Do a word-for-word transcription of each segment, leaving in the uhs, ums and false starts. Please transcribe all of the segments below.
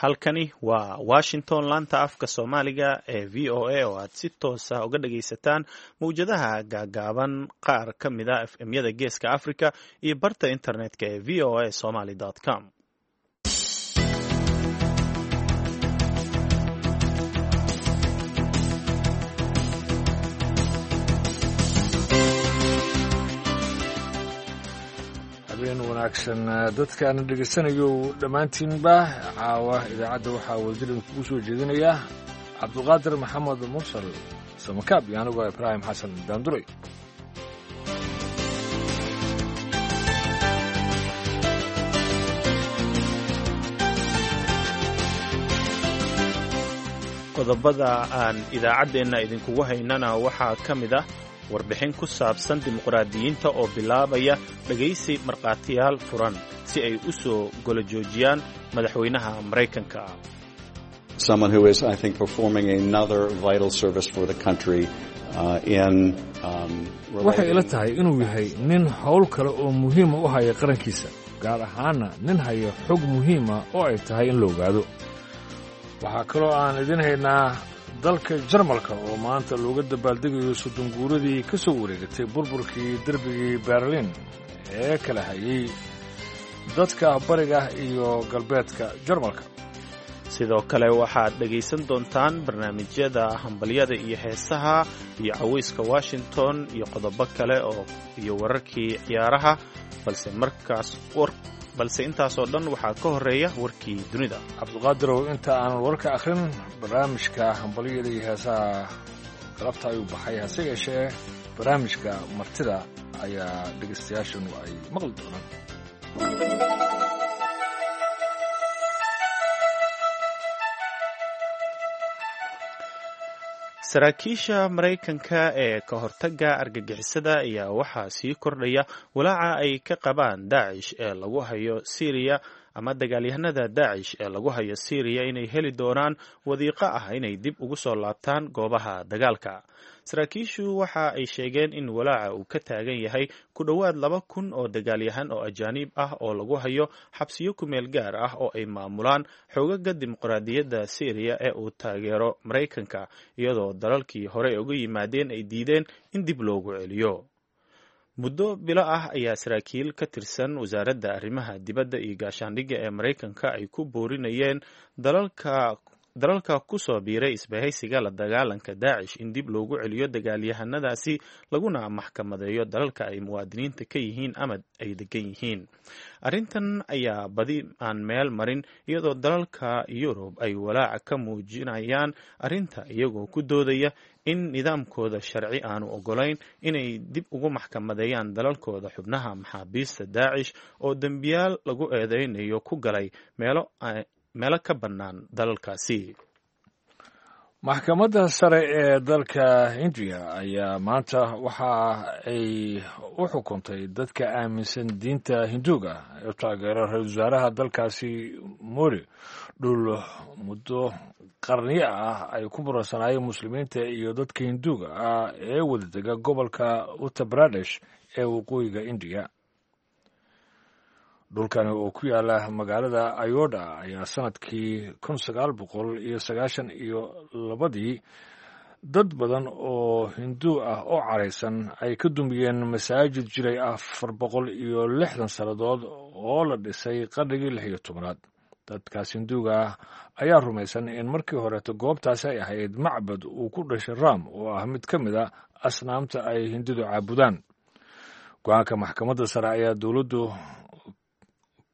Halkani waa Washington, laanta afka Soomaaliga ee V O A, oo aad si toos ah uga dhagaysataan mawjadaha gaagaaban, qaar ka mid ah F M-yada Geeska Africa iyo barta internetka ee V O A Somali com. Habeen wanaagsan dadkaana dhegaysanayo dhammaantiinba. Caawa idaacadda waxaa wadajir kugu soo jeedinaya Cabduqaadir Maxamed Mursal Samakaab iyo anigoo Ibraahim Xasan Daanduray. Qodobada aan idaacaddeenna idinkugu haynana waxaa ka mid ah warbixin ku saabsan dimuqraadiyiinta oo bilaabaya dhegaysi markhaatiyaal furan si ay u soo golo joojiyaan madaxweynaha Maraykanka. Someone who is, I think, performing another vital service for the country uh, in um, Waxay ila tahay inuu yahay nin howl kale oo muhiima u haya qarankiisa, gaar ahaana nin haya xog muhiima oo ay tahay in la ogaado. Waxaa kaloo aan idin haynaa dalka Jarmalka oo maanta looga dabaaldegayo soddon guuradii ka soo wareegatay burburkii derbigii Berlin ee kala hayay dadka bariga iyo galbeedka Jarmalka. Sidoo kale waxaad dhegaysan doontaan barnaamijyada hambalyada iyo heesaha iyo cawayska Washington iyo qodobo kale oo iyo wararkii ciyaaraha, balse markaas balse intaasoo dhan waxaa ka horeeya warkii dunida. Cabduqaadirow, inta aanan warka akhrin, barnaamijka hambalyada iyo heesaha galabta ayuu baxay, hase yeeshee barnaamijka martida ayaa dhegaystayaashanu ay maqli doonaan. Saraakiisha Maraykanka ee ka hortagga argagixisada ayaa waxaa sii kordhaya walaaca ay ka qabaan Daacish ee lagu hayo Syriya ama dagaalyahanada Daacish ee lagu hayo Syriya inay heli doonaan wadiiqo ah inay dib ugu soo laabtaan goobaha dagaalka. Saraakiishu waxa ay sheegeen in walaaca uu ka taagan yahay ku dhowaad laba kun oo dagaalyahan oo ajaaniib ah oo lagu hayo xabsiyo kumeel gaar ah oo ay maamulaan xoogaga dimuqraadiyadda Syriya ee uu taageero Maraykanka, iyadoo dalalkii hore uga yimaadeen ay diideen in dib loogu celiyo. Muddo bilo ah ayaa saraakiil ka tirsan wasaaradda arrimaha dibadda iyo gaashaandhigga ee Maraykanka ay ku boorinayeen dalalka dalalka ku soo biiray isbahaysiga la dagaalanka Daacish in dib loogu celiyo dagaalyahanadaasi, laguna maxkamadeeyo dalalka ay muwaadiniinta ka yihiin ama ay degan yihiin. Arrintan ayaa badi aan meel marin, iyadoo dalalka Yurub ay walaaca ka muujinayaan arrinta, iyagoo ku doodaya in nidaamkooda sharci aanu ogolayn inay dib ugu maxkamadeeyaan dalalkooda xubnaha maxaabiista Daacish oo dembiyaal lagu eedeynayo ku galay meelo meelo ka bannaan dalalkaasi. Maxkamadda sare ee dalka Hindiya ayaa maanta waxa ay u xukuntay dadka aaminsan diinta Hinduuga ee u taageera ra-iisul wasaaraha dalkaasi Mori dhul muddo qarniyo ah ay ku muransanaayeen muslimiinta iyo dadka Hinduuga ah ee wadadega gobolka Uttar Pradesh ee waqooyiga Indiya. Dhulkani oo ku yaala magaalada Ayodha ayaa sanadkii kun sagaal boqol iyo sagaashan iyo labadii dad badan oo Hinduu ah oo caraysan ay ka dumiyeen masaajid jiray afar boqol iyo lixdan sannadood oo la dhisay qarnigii lix iyo tobanaad. Dadkaas Hinduuga ah ayaa rumaysan in markii horeeto goobtaasi ay ahayd macbad uu ku dhashay Ram, oo ah mid ka mid a asnaamta ay Hindidu caabudaan. Go-aanka maxkamadda sare ayaa dowladdu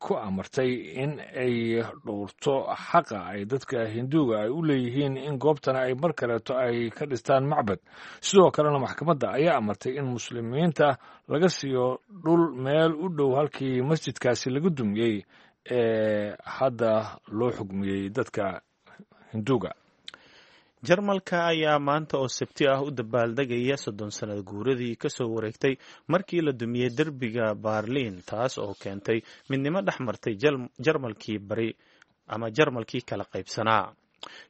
ku amartay in ay dhowrto xaqa ay dadka Hinduuga ay u leeyihiin in goobtana ay mar kaleeto ay ka dhistaan macbad. Sidoo kalena maxkamadda ayaa amartay in muslimiinta laga siiyo dhul meel u dhow halkii masjidkaasi laga dumiyey ee hadda loo xugmiyey dadka Hinduuga. Jarmalka ayaa maanta oo Sabti ah u dabaaldegaya soddon sanad guuradii kasoo wareegtay markii la dumiyey derbiga Baarliin, taas oo keentay midnimo dhex martay Jarmalkii bari ama Jarmalkii kala qaybsanaa.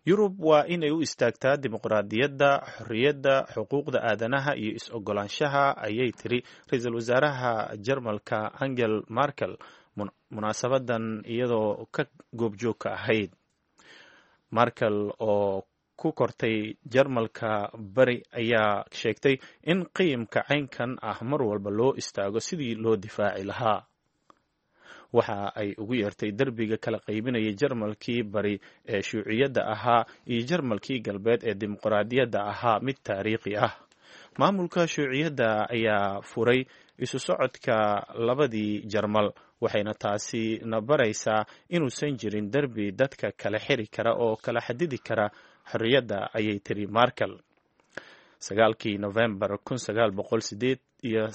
Yurub waa inay u istaagtaa dimuqraadiyadda, xorriyadda, xuquuqda aadanaha iyo is-ogolaanshaha, ayay tiri ra-iisul wasaaraha Jarmalka Angel Markel munaasabadan iyadoo ka goobjoogka ahayd. Markel oo ku kortay Jarmalka bari ayaa sheegtay in qiimka caynkan ah mar walba loo istaago sidii loo difaaci lahaa. Waxa ay ugu yeertay derbiga kala qaybinaya Jarmalkii bari ee shuuciyadda ahaa iyo Jarmalkii galbeed ee dimuqraadiyadda ahaa mid taariikhi ah. Maamulka shuuciyadda ayaa furay isu socodka labadii Jarmal, waxayna taasi na baraysaa inuusan jirin derbi dadka kala xiri kara oo kala xadidi kara xorriyadda, ayay tiri Markel. Sagaalkii Novembar kun sagaal boqol sideed iyo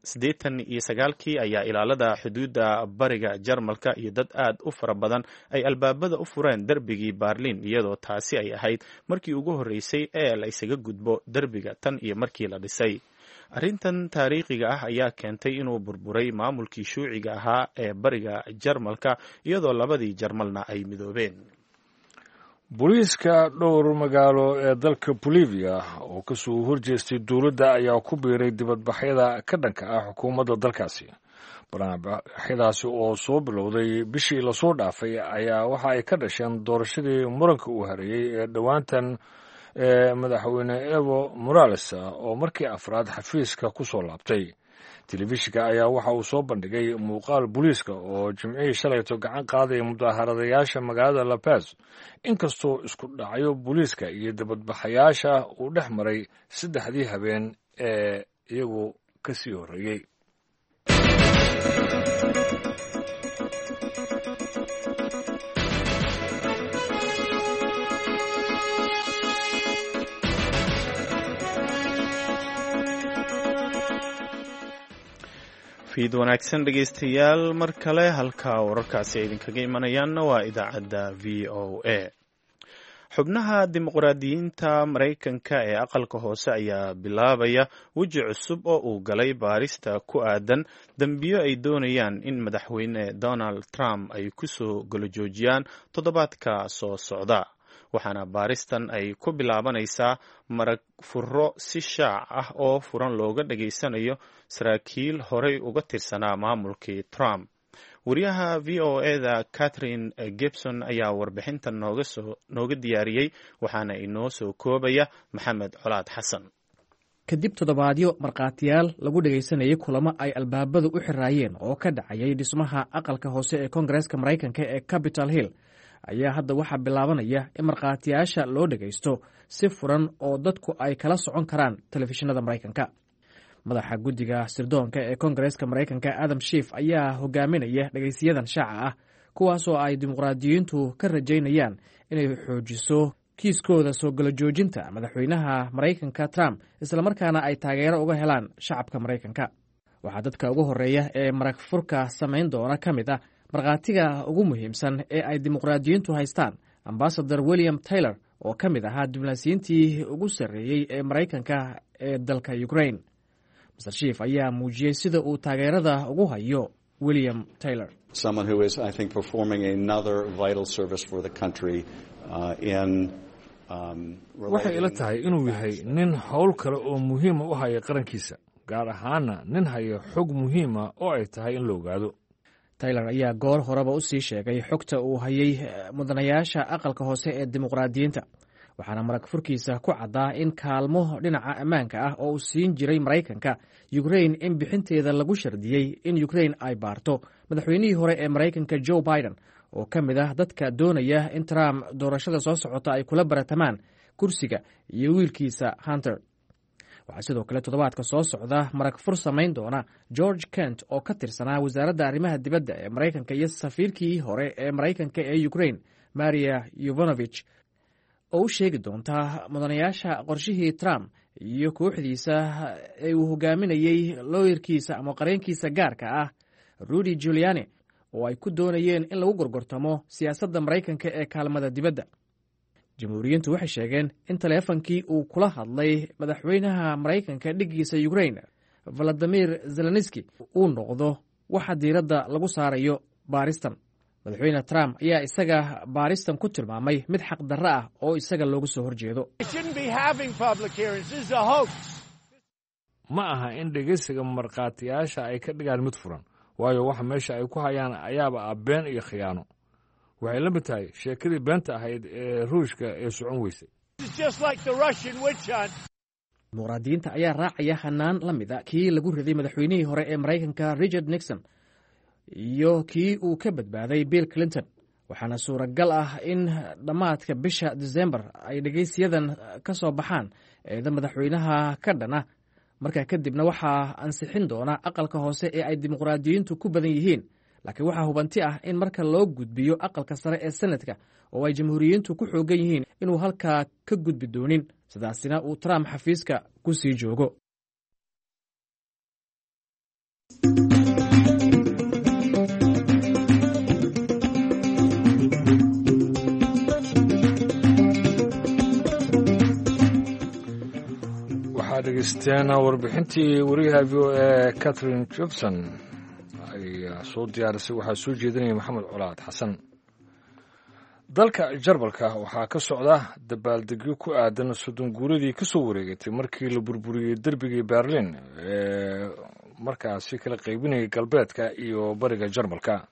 siddeetan iyo sagaalkii ayaa ilaalada xuduudda bariga Jarmalka iyo dad aad u fara badan ay albaabada u fureen derbigii Berlin, iyadoo taasi ay ahayd markii ugu horreysay ee la isaga gudbo derbiga tan iyo markii la dhisay. Arrintan taariikhiga ah ayaa keentay inuu burburay maamulkii shuuciga ahaa ee bariga Jarmalka, iyadoo labadii Jarmalna ay midoobeen. Booliiska dhowr magaalo ee dalka Bolivia oo kasoo horjeestay dowladda ayaa ku biiray dibadbaxyada ka dhanka ah xukuumadda dalkaasi. Barnaamijyadaasi oo soo bilowday bishii lasoo dhaafay ayaa waxa ay ka dhasheen doorashadii muranka uu hareeyey ee dhowaantan ee madaxweyne Evo Morales oo markii afraad xafiiska ku soo laabtay. Telefishinka ayaa waxa uu soo bandhigay muuqaal booliiska oo jimcihii shalayto gacan qaadaya mudaharadayaasha magaalada La Paz, inkastoo isku dhacyo booliiska iyo dibadbaxayaasha uu dhex maray saddexdii habeen ee iyagu ka sii horreeyey. Fiid wanaagsan dhegeystayaal, mar kale halka wararkaasi ay idinkaga imanayaanna waa idaacadda V O A. Xubnaha dimuqraadiyiinta Maraykanka ee aqalka hoose ayaa bilaabaya weji cusub oo uu galay baarista ku aadan dembiyo ay doonayaan in madaxweyne Donald Trump ay kusoo golojoojiyaan toddobaadka soo socda. Waxaana baaristan ay ku bilaabanaysaa marag furo si shaac ah oo furan looga dhageysanayo saraakiil horey uga tirsanaa maamulkii Trump. Wariyaha V O A-da Catherine Gibson ayaa warbixintan noogasoo nooga diyaariyey, waxaana inoo soo koobaya Maxamed Colaad Xasan. Kadib toddobaadyo markhaatiyaal lagu dhegaysanayay kulamo ay albaabadu u xiraayeen oo ka dhacayay dhismaha aqalka hoose ee Koongareeska Maraykanka ee Capitol Hill, ayaa hadda waxaa bilaabanaya in markhaatiyaasha loo dhegaysto si furan oo dadku ay kala socon karaan telefishinada Maraykanka. Madaxa guddiga sirdoonka ee Koongareeska Maraykanka Adam Schiff ayaa hogaaminaya dhegaysiyadan shaaca ah, kuwaasoo ay dimuqraadiyiintu ka rajaynayaan inay xoojiso kiiskooda soo gala joojinta madaxweynaha Maraykanka Trump, islamarkaana ay taageero uga helaan shacabka Maraykanka. Waxaa dadka ugu horreeya ee marag furka samayn doona ka mid ah markhaatiga ugu muhiimsan ee ay dimuqraadiyiintu haystaan, ambasador William Taylor oo ka mid ahaa diblomaasiyiintii ugu sarreeyey ee Maraykanka ee dalka Ukraine. Mister Schiff ayaa muujiyey sida uu taageerada ugu hayo William Taylor. Someone who is, I think, performing another vital service for the country uh, in um, Waxay ila tahay inuu yahay nin howl kale oo muhiima u haya qarankiisa, gaar ahaana nin haya xog muhiima oo ay tahay in la ogaado. Taylor ayaa goor horeba u sii sheegay xogta uu hayay mudanayaasha aqalka hoose ee dimuqraadiyiinta, waxaana marag furkiisa ku caddaa in kaalmo dhinaca ammaanka ah oo uu siin jiray Maraykanka Ukrain in bixinteeda lagu shardiyey in Ukrain ay baarto madaxweynihii hore ee Maraykanka Joe Biden, oo ka mid ah dadka doonaya in Trump doorashada soo socota ay kula baratamaan kursiga, iyo wiilkiisa Hunter. Waxaa sidoo kale toddobaadka soo socda marag fur samayn doona George Kent oo ka tirsanaa wasaaradda arrimaha dibadda ee Maraykanka iyo safiirkii hore ee Maraykanka ee Ukrain Maria Yuvanovich, oo u sheegi doonta mudanayaasha qorshihii Trump iyo kooxdiisa ee uu hogaaminayey looyarkiisa ama qareenkiisa gaarka ah Rudy Giuliani oo ay ku doonayeen in lagu gorgortamo siyaasadda Maraykanka ee kaalmada dibadda. Jamhuuriyiintu waxay sheegeen in taleefankii uu kula hadlay madaxweynaha Maraykanka dhiggiisa Ukrain Valadimir Zelenski uu noqdo waxa diiradda lagu saarayo baaristan. Madaxweyne Trump ayaa isaga baaristan ku tilmaamay mid xaqdarro ah oo isaga looga soo horjeedo. Ma aha in dhegaysiga markhaatiyaasha ay ka dhigaan mid furan, waayo waxa meesha ay ku hayaan ayaaba ah been iyo khiyaano. Waxay la mid tahay sheekadii beenta ahayd ee Ruushka ee socon weysay. Dimuqraadiyiinta ayaa raacaya hanaan la mid a kii lagu riday madaxweynihii hore ee Maraykanka Richard Nixon iyo kii uu ka badbaaday Bill Clinton, waxaana suuragal ah in dhammaadka bisha Disembar ay dhegaysiyadan ka soo baxaan eeda madaxweynaha ka dhana. Markaa kadibna waxaa ansixin doona aqalka hoose ee ay dimuqraadiyiintu ku badan yihiin, laakiin waxaa hubanti ah in marka loo gudbiyo aqalka sare ee Senatka oo ay Jamhuuriyiintu ku xoogan yihiin inuu halkaa ka gudbi doonin, sidaasina uu Trump xafiiska ku sii joogo. Waxaa dhegeysteen warbixintii wariyaha V O A Catherine Jobson ayaa soo diyaarisay. Waxaa soo jeedinaya Maxamed Colaad Xasan. Dalka Jarmalka waxaa ka socda dabaaldegyo ku aadan soddon guuradii ka soo wareegatay markii la burburiyey derbigii Berlin ee markaasi kala qaybinayay galbeedka iyo bariga Jarmalka.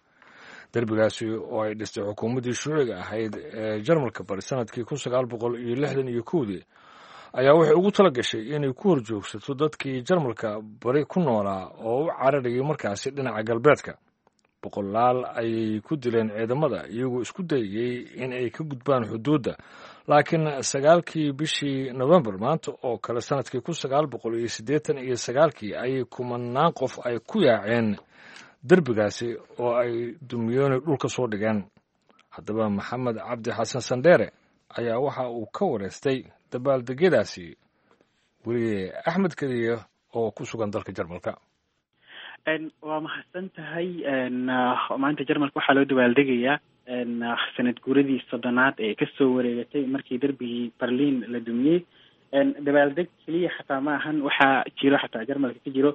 Derbigaasi oo ay dhistay xukuumaddii shuuciga ahayd ee Jarmalka bari sanadkii kun sagaal boqol iyo lixdan iyo kowdii ayaa waxay ugu tala gashay inay ku horjoogsato dadkii Jarmalka bari ku noolaa oo u cararayay markaasi dhinaca galbeedka. Boqolaal ayay ku dileen ciidamada iyagoo isku dayayey in ay ka gudbaan xuduudda, laakiin sagaalkii bishii Novembar maanta oo kale sanadkii kun sagaal boqol iyo siddeetan iyo sagaalkii ayay kumanaan qof ay ku yaaceen derbigaasi oo ay dumiyooni dhulka soo dhigeen. Haddaba, Maxamed Cabdi Xasan Sandheere ayaa waxa uu ka wareystay dabaaldegyadaasi weriye Axmed Kadiye oo ku sugan dalka Jarmalka. Waa mahadsan tahay. Maanta Jarmalka waxaa loo dabaaldegayaa sanad guuradii soddonaad ee kasoo wareegatay markii derbigii Berlin la dumiyey. Dabaaldeg keliya xataa ma ahan, waxaa jiro xataa Jarmalka ka jiro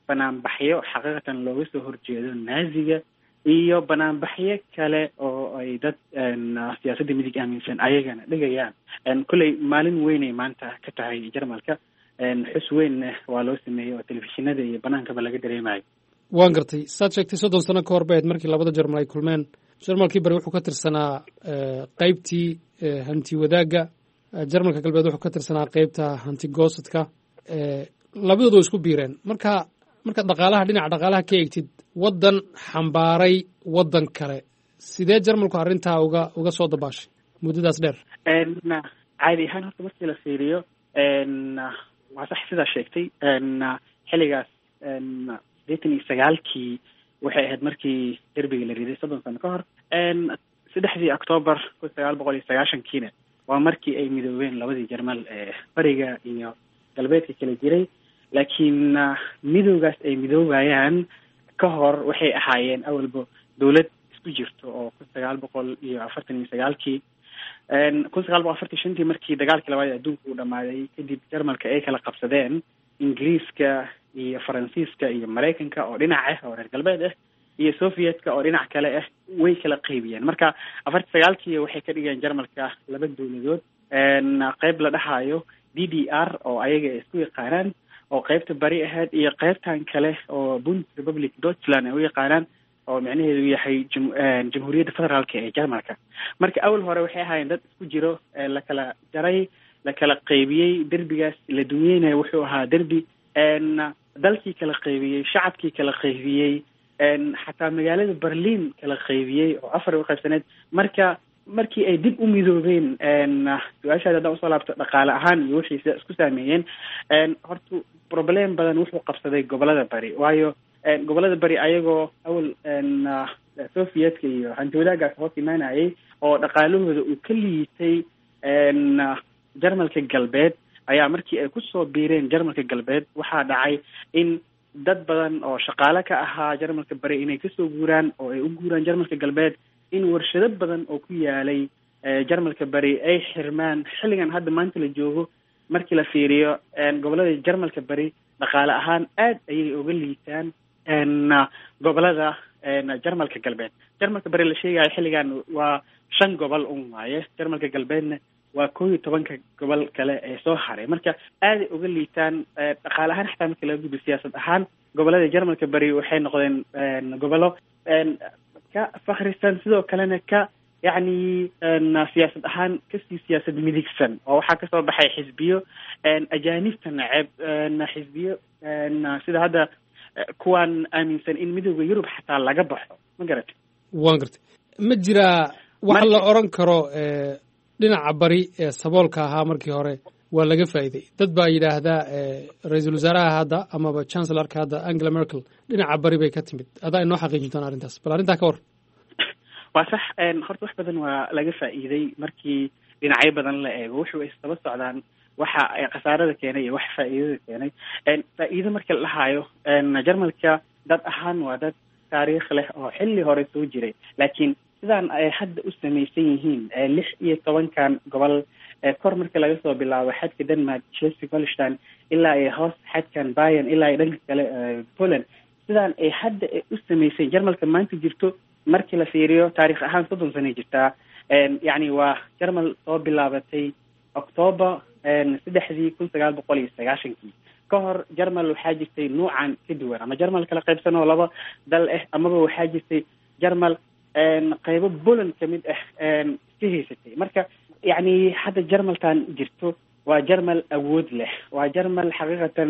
banaanbaxyo xaqiiqatan looga soo horjeedo Naaziga iyo banaanbaxyo kale oo ay dad siyaasadda midig aaminsan ayagana dhigayaan. Kolley maalin weynay maanta ka tahay Jarmalka, xus weynna waa loo sameeyey oo telefishinada iyo banaankaba laga dareemayo. Waan gartay. Saad sheegtay, soddon sano ka hor bay ahayd markii labada Jarmal ay kulmeen. Jarmalkii bari wuxuu ka tirsanaa qeybtii hanti wadaagga, Jarmalka galbeed wuxuu ka tirsanaa qeybta hanti goosadka. Labadooda way isku biireen. Marka markaad dhaqaalaha, dhinaca dhaqaalaha ka eegtid, waddan xambaaray waddan kale, sidee Jarmalku arrintaa uga uga soo dabaashay muddadaas dheer? Caadi ahaan horta markii la fiiriyo, waa sax sidaa sheegtay. Xilligaas sideetan iyo sagaalkii waxay ahayd markii derbiga la riday, soddon sano ka hor. Saddexdii Octoobar kun sagaal boqol iyo sagaashankiina waa markii ay midoobeen labadii Jarmal ee bariga iyo galbeedka kala jiray. Laakiin midowgaas ay midoobayaan ka hor waxay ahaayeen awalba dowlad isku jirto oo kun sagaal boqol iyo afartan iyo sagaalkii, kun sagaal boqol afartan shantii markii dagaalkii labaad ee adduunka uu dhamaaday kadib, Jarmalka ay kala qabsadeen Ingiriiska iyo Faransiiska iyo Maraykanka oo dhinac ah oo reer galbeed ah iyo Sovietka oo dhinac kale ah, way kala qaybiyeen. Marka afartan sagaalkii waxay ka dhigeen Jarmalka laba dowladood, qeyb la dhahayo D D R oo ayaga ay isku yaqaanaan oo qeybta bari ahayd iyo qeybtan kale oo Bundesrepublik Deutschland ay u yaqaanaan, oo micnaheedu yahay Jamhuuriyadda Federaalka ee Jarmalka. Marka awal hore waxay ahaayeen dad isku jiro, la kala jaray, la kala qaybiyey. Derbigaas la dumiyeyna wuxuu ahaa derbi dalkii kala qaybiyey, shacabkii kala qaybiyey, xataa magaalada Berlin kala qaybiyey oo afar u qaybsaneed. Marka markii ay dib u midoobeen, su-aashaada haddaan usoo laabto, dhaqaale ahaan iyo wixii sida isku saameeyeen, horta problem badan wuxuu qabsaday gobolada bari, waayo gobolada bari ayagoo awal Sovietka iyo hanti wadaagaas hoos imaanayay oo dhaqaalahooda uu ka liitay Jarmalka galbeed ayaa markii ay kusoo biireen Jarmalka galbeed waxaa dhacay in dad badan oo shaqaale ka ahaa Jarmalka bari inay kasoo guuraan oo ay u guuraan Jarmalka galbeed, in warshado badan oo ku yaalay Jarmalka bari ay xirmaan. Xilligan hadda maanta la joogo markii la fiiriyo, gobolada Jarmalka bari dhaqaale ahaan aad ayay uga liitaan gobolada Jarmalka galbeed. Jarmalka bari la sheegayo xilligan waa shan gobol un waaye, Jarmalka galbeedna waa koo iyo tobanka gobol kale ee soo haray. Marka aaday uga liitaan dhaqaale ahaan. Xataa marka laga gudbo siyaasad ahaan, gobolada Jarmalka bari waxay noqdeen gobollo ka fakrisan, sidoo kalena ka Yacni siyaasad ahaan kasii siyaasad midigsan, oo waxaa kasoo baxay xisbiyo ajaanibta neceb, xisbiyo sida hadda kuwaan aaminsan in midooda Yurub xataa laga baxo, ma garatay? Waan gartay. Ma jiraa wax la oran karo dhinaca bari ee saboolka ahaa markii hore waa laga faa'iiday? Dad baa yidhaahdaa ra-iisul wasaaraha hadda amaba chancellorka hadda Angela Merkel dhinaca bari bay ka timid. Adaa inoo xaqiijin doona arrintaas, bal arrintaa ka war. Waa sax, horta wax badan waa laga faa'iiday markii dhinacyo badan la eego. Wuxuu isdaba socdaan waxa ay khasaarada keenay iyo waxa faa'iidada keenay. Faa'iido marka la dhahaayo, Jarmalka dad ahaan waa dad taariikh leh oo xilli hore soo jiray, laakiin sidaan ay hadda u samaysan yihiin lix iyo tobankan gobol, kor marka laga soo bilaabo xadka Denmark, Schleswig Holstein, ilaa ay hoos xadkan Bayern, ilaa ay dhanka kale Poland, sidaan ay hadda u samaysan Jarmalka maanta jirto, markii la fiiriyo taarikh ahaan soddon sanay jirtaa. Yacni waa Jarmal soo bilaabatay Octoober saddexdii kun sagaal boqol iyo sagaashankii. Ka hor Jarmal waxaa jirtay nuucan ka duwan, ama Jarmal kala qaybsan oo laba dal ah, amaba waxaa jirtay Jarmal qaybo Poland kamid ah iska haysatay. Marka yacni hadda Jarmaltan jirto waa Jarmal awood leh, waa Jarmal xaqiiqatan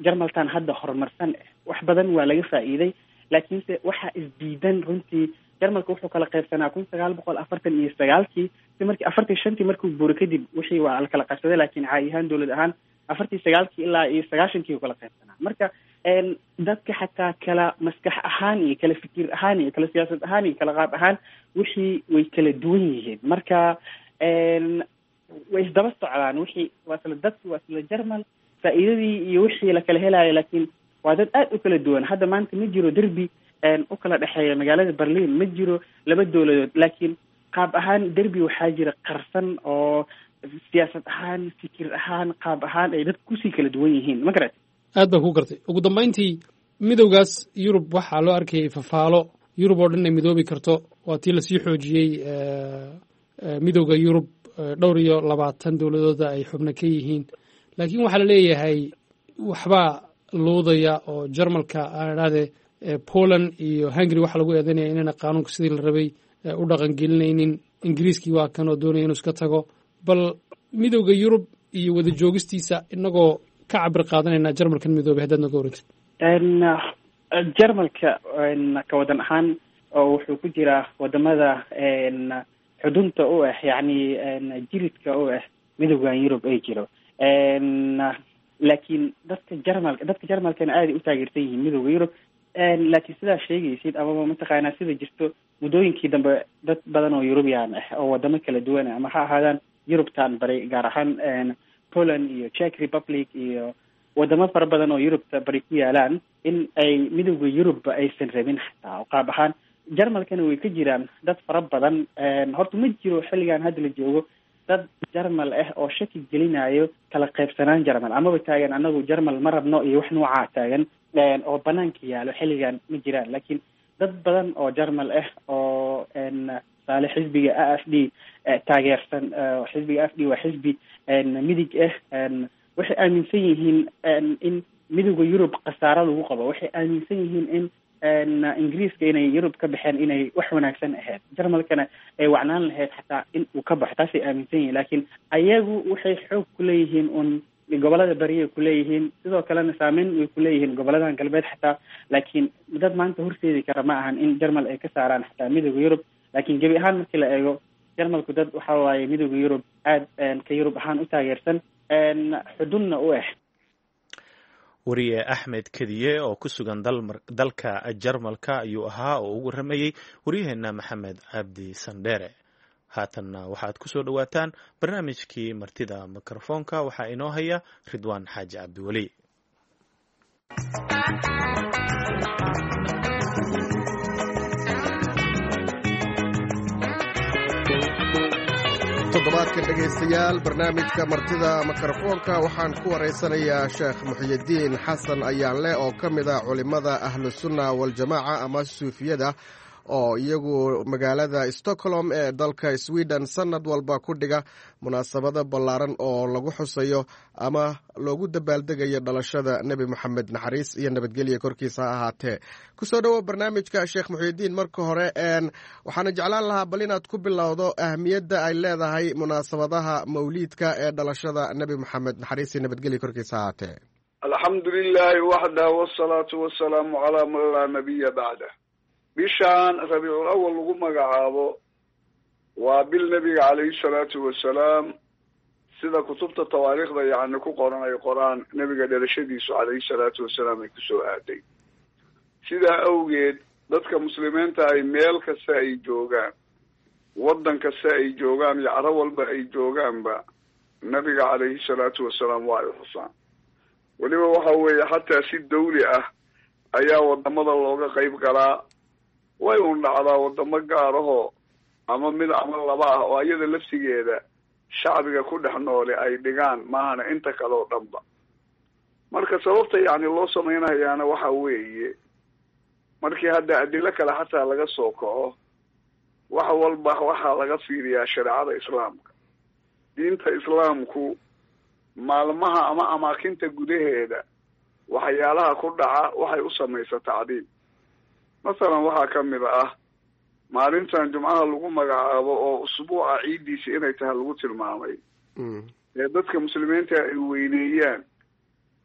Jarmaltan hadda horumarsan. Wax badan waa laga faa'iiday, laakiinse waxaa isdiidan runtii. Jarmalka wuxuu kala qaybsanaa kun sagaal boqol afartan iyo sagaalkii, si markii afartan shantii markuu buuro kadib wixii waa la kala qaybsaday, laakiin caadi ahaan dowlad ahaan afartii sagaalkii ilaa iyo sagaashankii uu kala qaybsanaa. Marka dadka xataa kala maskax ahaan iyo kala fikir ahaan iyo kala siyaasad ahaan iyo kala qaab ahaan wixii way kala duwan yihiin. Marka way isdaba socdaan wixii, waa isla dadki, waa isla Jarmal faa'iidadii iyo wixii la kala helayo, laakiin waa dad aad u kala duwan. Hadda maanta ma jiro derbi u kala dhexeeya magaalada Berlin, ma jiro laba dowladood, laakiin qaab ahaan derbi waxaa jira qarsan oo siyaasad ahaan, fikir ahaan, qaab ahaan ay dadku kusii kala duwan yihiin, ma garat? Aad baan ku gartay. Ugu dambayntii, midowgaas Yurub waxaa loo arkayay fafaalo Yurub oo dhan ay midoobi karto. Waa tii lasii xoojiyey midowda Yurub, dhowr iyo labaatan dowladooda ay xubno ka yihiin, laakiin waxaa la leeyahay waxbaa luudaya oo Jarmalka aan idhahdee Poland iyo Hungary waxaa lagu eedeynaya inayna qaanuunka sidii la rabay u dhaqangelinaynin. Ingiriiskii waa kan oo doonaya inuu iska tago. Bal midowda Yurub iyo wada joogistiisa inagoo ka cabir qaadanayna Jarmalkan midoobay, haddaad noga warantid. Jarmalka ka wadan ahaan oo wuxuu ku jiraa wadamada xudunta u ah, yacni jiridka u ah midowgan Yurub ay jiro, laakiin dadka Jarmalka dadka Jarmalkana aaday u taageersan yihiin midowda Yurub. Laakiin sidaa sheegaysid amaba mataqaanaa sida jirto, muddooyinkii dambe dad badan oo Yurubian ah oo wadamo kala duwan ah, ama ha ahaadaan Yurubtan bari, gaar ahaan Poland iyo Czech Republic iyo wadamo fara badan oo Yurubta bari ku yaalaan, in ay midowda Yurubba aysan rabin xataa oo qaab ahaan Jarmalkana way ka jiraan dad fara badan. Horta ma jiro xilligan hadda la joogo dad Jarmal ah oo shaki gelinayo kala qaybsanaan Jarmal, amaba taagan anagu Jarmal ma rabno iyo wax noocaa taagan oo banaanka yaalo xilligan ma jiraan. Laakiin dad badan oo Jarmal ah oo tusaale xisbiga A F D taageersan, xisbiga A F D waa xisbi midig ah, waxay aaminsan yihiin in midowda Yurub khasaaro lagu qabo. Waxay aaminsan yihiin in Ingiriiska inay Yurub ka baxeen inay wax wanaagsan ahayd, Jarmalkana ay wacnaan lahayd xataa in uu ka baxo, taasay aaminsan yihiin. Laakiin ayagu waxay xoog kuleeyihiin un gobolada bariyay kuleeyihiin, sidoo kalena saameyn way kuleeyihiin goboladan galbeed xataa, laakiin dad maanta horseedi kara ma ahan in Jarmal ay ka saaraan xataa midowda Yurub. Laakiin gebi ahaan markii la eego, Jarmalku dad waxa waaye midowda Yurub aad ka Yurub ahaan u taageersan, xudunna u ah. Wariye Axmed Kediye oo ku sugan dalka Jarmalka ayuu ahaa oo ugu waramayey waryaheena Maxamed Cabdi Sandheere. Haatanna waxaad ku soo dhowaataan barnaamijkii martida mikrofoonka, waxaa inoo haya Ridwaan Xaaji Cabdiweli. Toddobaadkan dhegaystayaal, barnaamijka martida mikrofoonka waxaan ku waraysanayaa Sheekh Muxyidiin Xasan Ayaanle oo ka mid ah culimmada Ahlusunna Waljamaaca ama suufiyada Oo iyagu magaalada Stockholm ee dalka Sweden sanad walba ku dhiga munaasabado ballaaran oo lagu xusayo ama loogu dabaaldegayo dhalashada Nebi Moxamed, naxariis iyo nabadgelya korkiisa ha ahaatee. Kusoo dhowo barnaamijka, Sheekh Muxyidiin. Marka hore waxaana jeclaan lahaa bal inaad ku bilowdo ahmiyadda ay leedahay munaasabadaha mawliidka ee dhalashada Nebi Moxamed, naxariis iyo nabadgelya korkiisa ha ahaatee. Alxamdu lilahi waxdah, wsalaatu wasalaamu calaa man laa nabiya bacdah. Bishaan Rabiicul Awal lagu magacaabo waa bil nebiga calayhi salaatu wasalaam, sida kutubta tawaariikhda yacni ku qoran ay qoraan, nebiga dhalashadiisu calayhi salaatu wasalaam ay kusoo aaday. Sidaa awgeed dadka muslimiinta ay meel kasta ay joogaan, waddan kasta ay joogaan iyo caro walba ay joogaanba, nebiga calayhi salaatu wasalaam waa ay xusaan. Weliba waxa weeye xataa si dawli ah ayaa wadamada looga qayb galaa. Way un dhacdaa wadamo gaar ahoo ama mid ama laba ah oo iyada laftigeeda shacbiga ku dhex noole ay dhigaan, maahana inta kale oo dhanba. Marka sababta yacni loo samaynayaana waxa weeye, markii hadda adilo kale xataa laga soo kaco, wax walba waxaa laga fiiriyaa shareecada Islaamka. Diinta Islaamku maalmaha ama amaakinta gudaheeda waxyaalaha ku dhaca waxay u samaysa tacdiim. Masalan, waxaa ka mid ah maalintan Jumcaha lagu magacaabo oo usbuuca ciiddiisa inay tahay lagu tilmaamay ee dadka muslimiinta ay weyneeyaan.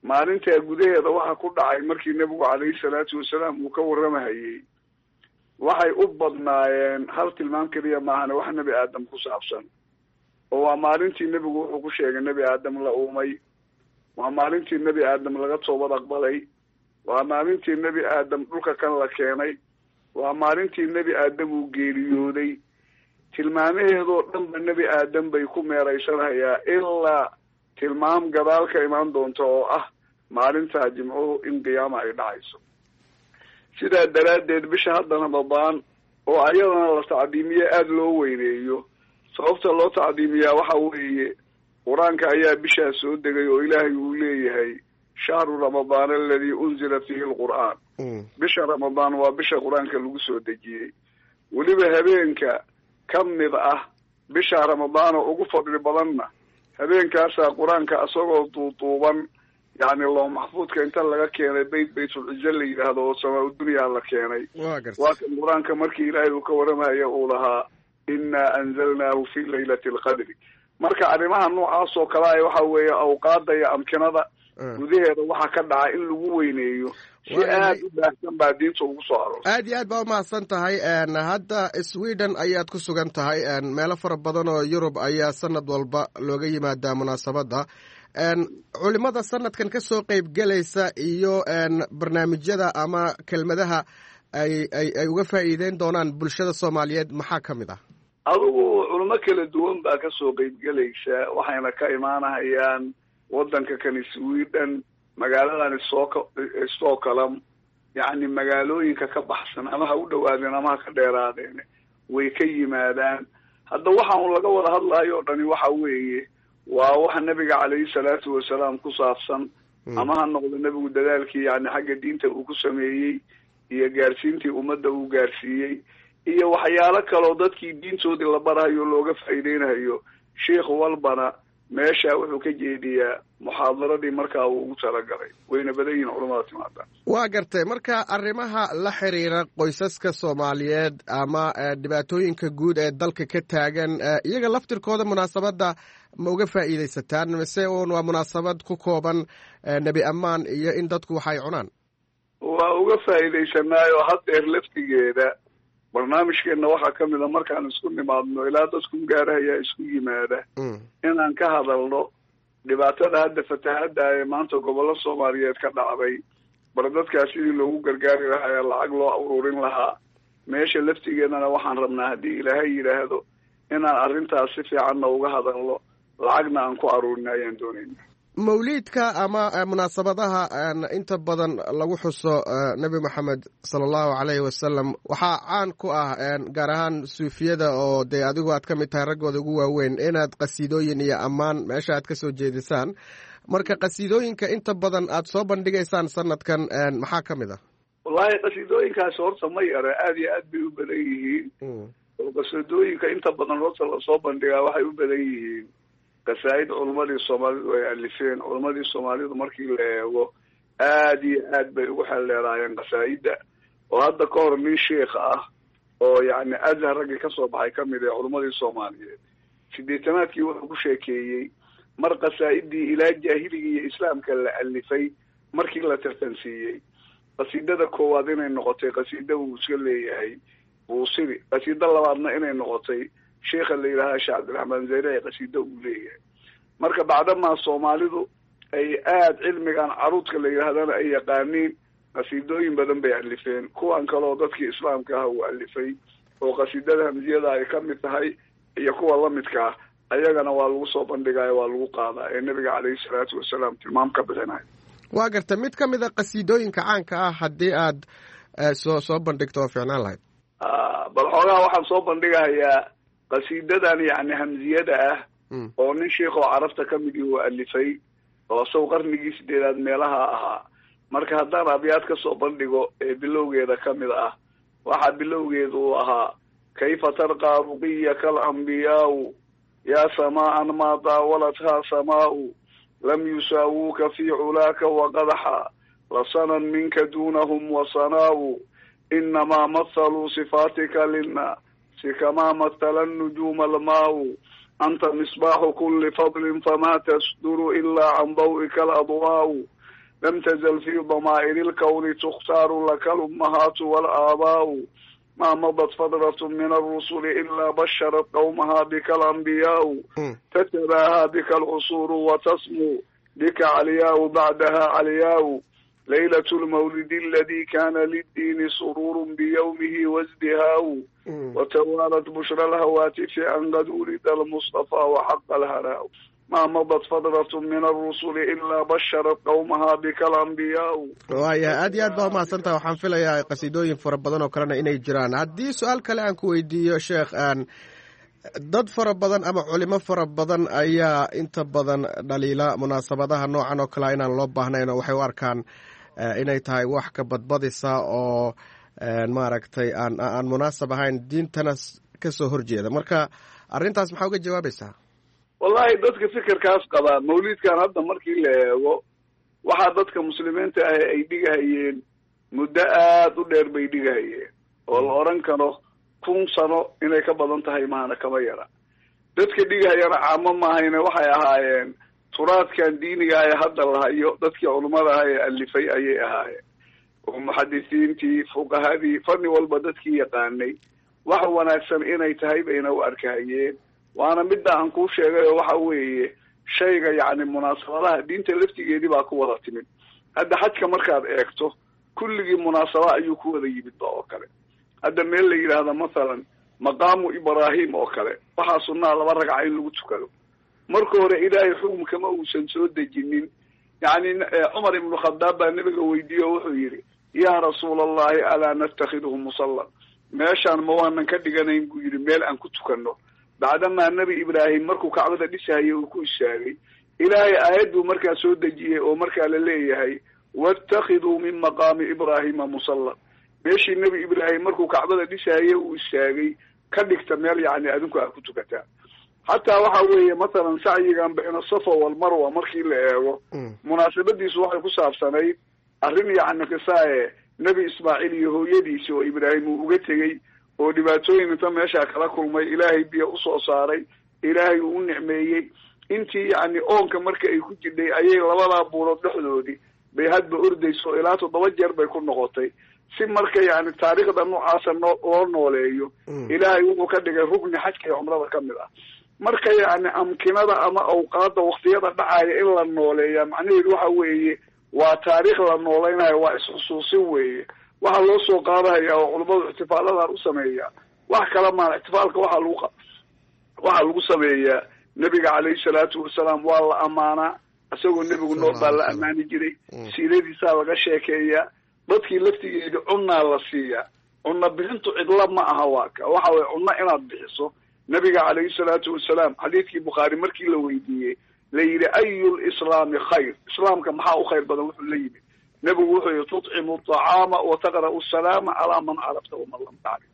Maalintaa gudaheeda waxa ku dhacay markii nebigu calayhi salaatu wasalaam uu ka warramahayey, waxay u badnaayeen hal tilmaam keliya maahane, wax Nebi Aadam ku saabsan, oo waa maalintii nebigu wuxuu ku sheegay Nebi Aadam la uumay, waa maalintii Nebi Aadam laga toobad aqbalay, waa maalintii Nebi Aadam dhulka kan la keenay, waa maalintii Nebi Aadam uu geeriyooday. Tilmaamaheedoo dhanba Nebi Aadam bay ku meeraysanayaa, ilaa tilmaam gadaal ka imaan doonta oo ah maalintaa Jimcuhu in qiyaama ay dhacayso. Sidaa daraaddeed bisha hadda Ramadaan oo ayadana la tacdiimiye, aada loo weyneeyo, sababta loo tacdiimiyaa waxa weeye Qur-aanka ayaa bishaa soo degay oo Ilaahay uu leeyahay: "Shahru Ramadaan aladii unzila fiihi alqur'aan." Bisha Ramadaan waa bisha Qur-aanka lagu soo dejiyey. Weliba habeenka ka mid ah bisha Ramadaan oo ugu fadli badanna, habeenkaasaa Qur-aanka isagoo duuduuban yacni loo maxfuudka inta laga keenay beyt Baytulcize la yidhaahdo oo samaa dunyaa la keenay. Waa kan Qur-aanka markii Ilaahay uu ka warramaya uu lahaa: "Inaa anzalnaahu fi laylati alqadri." Marka arrimaha noocaas oo kale ah waxa weeye awqaada iyo amkinada gudaheeda waxa ka dhaca in lagu weyneeyo si aada u baahsan baa diinta ugu soo aroortay. Aad iyo aad baa umahadsan tahay. Hadda Sweden ayaad ku sugan tahay, meelo fara badan oo Yurub ayaa sanad walba looga yimaadaa munaasabadda. Culimada sanadkan ka soo qeyb gelaysa iyo barnaamijyada ama kelmadaha ay ay ay uga faa'iideyn doonaan bulshada Soomaaliyeed maxaa ka mid ah? Adigu culimo kala duwan baa kasoo qeybgelaysa, waxayna ka imaanahayaan waddanka kani Sweden, magaaladan Stock Stockholm, yacni magaalooyinka ka baxsan ama ha u dhawaadeen ama ha ka dheeraadeen, way ka yimaadaan. Hadda waxa un laga wada hadlayo o dhani waxa weeye waa waxa nebiga calayhi salaatu wasalaam ku saabsan, ama ha noqdo nebigu dadaalkii yani xagga diinta uu ku sameeyey iyo gaarsiintii ummadda uu gaarsiiyey iyo waxyaalo kaloo dadkii diintoodii la barahayo, looga faa'iideynayo. Sheikh walbana meesha wuxuu ka jeediyaa muxaadaradii markaa uu ugu talagalay. Wayna badan yihiin culamada timaada. Waa gartay. Marka arrimaha la xiriira qoysaska Soomaaliyeed ama dhibaatooyinka guud ee dalka ka taagan, iyaga laftirkooda munaasabadda ma uga faa'iidaysataan, mise uun waa munaasabad ku kooban nebi ammaan iyo in dadku waxay cunaan? Waa uga faa'iidaysanaayo. Haddeer laftigeeda barnaamijkeenna waxaa ka mid a markaan isku nimaadno, ilaa dadku gaarahayaa isku yimaada, inaan ka hadalno dhibaatada hadda fatahadda ee maanta gobollo Soomaaliyeed ka dhacday, bar dadkaas sidii loogu gargaari lahaa ee lacag loo ururin lahaa. Meesha laftigeedana waxaan rabnaa, haddii Ilaahay yidhaahdo, inaan arrintaas si fiicanna uga hadalno, lacagna aan ku aruurin ayaan doonayna. Mawliidka ama munaasabadaha inta badan lagu xuso Nebi Moxamed sala Allahu calayhi wasalam waxaa caan ku ah, gaar ahaan suufiyada oo dee adigu aad ka mid tahay raggooda ugu waaweyn, inaad qasiidooyin iyo ammaan meesha aad ka soo jeedisaan. Marka qasiidooyinka inta badan aad soo bandhigaysaan sanadkan maxaa ka mid ah? Wallahi qasiidooyinkaasi horta ma yara, aada iyo aad bay u badan yihiin. Oo qasiidooyinka inta badan horta lasoo bandhigaa waxay u badan yihiin qasaa'id culammadii soomaalidu ay alifeen. Culammadii soomaalidu markii la eego aada iyo aad bay ugu xeeldheeraayeen qasaa'idda. Oo hadda ka hor nin sheikh ah oo yacni Azhar raggii kasoo baxay kamid ee culammadii soomaaliyeed sideetanaadkii wuxuu ku sheekeeyey mar qasaa'idii ilaa jaahiligii iyo islaamka la alifay markii la tartansiiyey qasiidada koowaad inay noqotay qasiida uu iska leeyahay Buusiri, qasiida labaadna inay noqotay sheikha la yidhahda Sheekh Cabdiraxmaan Zayre qasiida uu leeyahay. Marka bacdamaa soomaalidu ay aada cilmigan caruudka la yidhahdana ay yaqaaniin, qasiidooyin badan bay alifeen. Kuwan kale oo dadkii islaamka ah uu alifay oo qasiidada hamsiyada ay ka mid tahay iyo kuwa lamidka ah, ayagana waa lagu soo bandhigaya, waa lagu qaadaa ee nabiga caleyhi salaatu wasalaam tilmaam ka bixinayo. Waa garta, mid ka mid a qasiidooyinka caanka ah haddii aad soo soo bandhigto oo fiicnaan lahayd. Bal xoogaha waxaan soo bandhigahayaa qasiidadan yacni hamsiyada ah oo nin sheikh oo carabta ka midii uu alifay oo isago qarnigii sideedaad meelaha ahaa. Marka haddaan abyaad ka soo bandhigo ee bilowgeeda ka mid ah, waxaa bilowgeedu uu ahaa: kayfa tarqaa ruqiyaka alambiyaau yaa samaaan maa daawalathaa samaau lam yusaawuuka fii culaaka waqadaxa lasanan minka duunahum wasanaau inamaa mathaluu sifaatika linnaasi kamaa mathala nujuuma almaau anta misbaaxu kuli fadlin famaa tasduru ilaa can daw'ika aladwaau lam tazal fii damaa'iri lkawni tukhtaaru laka lummahaatu walaabaau ma madat fadratu min alrusuli ilaa basharat qawmaha bika alambiyaau tatabaahaa bika alcusuuru watasmu bika calyaau bacdaha calyaau laylat lmawlidi aladi kana liddiini sururu biyawmihi wasdihaau watawaalat bushra alhawaatifi an qad wulida almustafa waxaqa alharaau ma madat fadratu min alrusuli ilaa basharat qawmaha bika alambiyaau. Waaya, aad iyo aad baa umahadsan tahay. Waxaan filayaa qasiidooyin fara badan oo kalena inay jiraan. Haddii su-aal kale aan ku weydiiyo sheekh, aan dad fara badan ama culimo fara badan ayaa inta badan dhaliila munaasabadaha noocan oo kalea inaan loo baahnayn, oo waxay u arkaan inay tahay wax ka badbadisa oo maaragtay aan aan munaasab ahayn, diintana kasoo horjeeda. Marka arrintaas maxaa uga jawaabaysaa? Wallahi dadka fikirkaas qabaa mawlidkan hadda markii la eego waxaa dadka muslimiinta ah ay dhigahayeen muddo aada u dheer bay dhigahayeen, oo la odhan karo kun sano inay ka badan tahay mahana kama yara. Dadka dhigahayana caamo maahayne, waxay ahaayeen turaadkan diiniga ee hadda la hayo dadkii culummada ah ee alifay ayay ahaayeen, oo muxadisiintii, fuqahadii, fanni walba dadkii yaqaanay wax wanaagsan inay tahay bayna u arkahayeen. Waana midda aan kuu sheegay oo waxa weeye shayga yacni munaasabadaha diinta laftigeedii baa ku wada timid. Hadda xajka markaad eegto kulligii munaasaba ayuu ku wada yimid ba oo kale. Hadda meel la yidhaahdo mathalan maqaamu Ibraahim oo kale, waxaa sunnaa laba ragca in lagu tukado. Marka hore ilaahay xukumkama uusan soo dejinin. Yacni Cumar ibnu Khadaab baa nabiga weydiiye oo wuxuu yidhi: yaa rasuula allahi, alaa natakhiduhu musallan? Meeshaan ma waanan ka dhiganayn, buu yidhi, meel aan ku tukanno, bacdamaa nebi Ibraahim markuu kacbada dhisahayay uu ku istaagay? Ilaahay aayad buu markaa soo dejiyey oo markaa la leeyahay: wattakhiduu min maqaami Ibraahima musallan. Meeshii nebi Ibraahim markuu kacbada dhisahayay uu istaagay ka dhigta meel yacni adinku aad ku tukataa. Xataa waxa weeye mathalan sacyigan bayna Safa walmarwa markii la eego, munaasabadiisu waxay ku saabsanayd arrin yacni qisaae nebi Ismaaciil iyo hooyadiisi oo Ibraahim uu uga tegey oo dhibaatooyin inta meeshaa kala kulmay, ilaahay biyo usoo saaray, ilaahay uu u nicmeeyey. Intii yacni oonka marka ay ku jidhay ayay labadaa buurood dhexdoodii bay hadba ordayso, ilaa toddoba jeer bay ku noqotay. Si marka yacni taariikhda noocaasa noo loo nooleeyo, ilaahay wuxuu ka dhigay rugni xajka iyo cumrada ka mid ah. Marka yacni amkinada ama awqaadda waktiyada dhacaya in la nooleeya macnaheedu waxa weeye waa taariikh la noolaynayo, waa isxusuusin weeye. Waxaa loo soo qaadahaya oo culummadu ixtifaaladan u sameeyaa wax kala maan. Ixtifaalka waxaa lagu waxaa lagu sameeyaa nebiga calayhi salaatu wasalaam waa la ammaanaa, isagoo nebigu nool baa la ammaani jiray, siiradiisaa laga sheekeeyaa, dadkii laftigeeda cunnaa la siiyaa. Cunna bixintu cidla ma aha, waa ka waxa weye cunno inaad bixiso. Nabiga calayhi salaatu wasalaam xadiidkii Bukhaari markii la weydiiyey la yidhi: ayu lislaami khayr? Islaamka maxaa u khayr badan? Wuxuu la yimid Nebigu wuxuu yihi tutcimu aطacaama wa taqra'u asalaama calaa man carabta waman lam tacrif.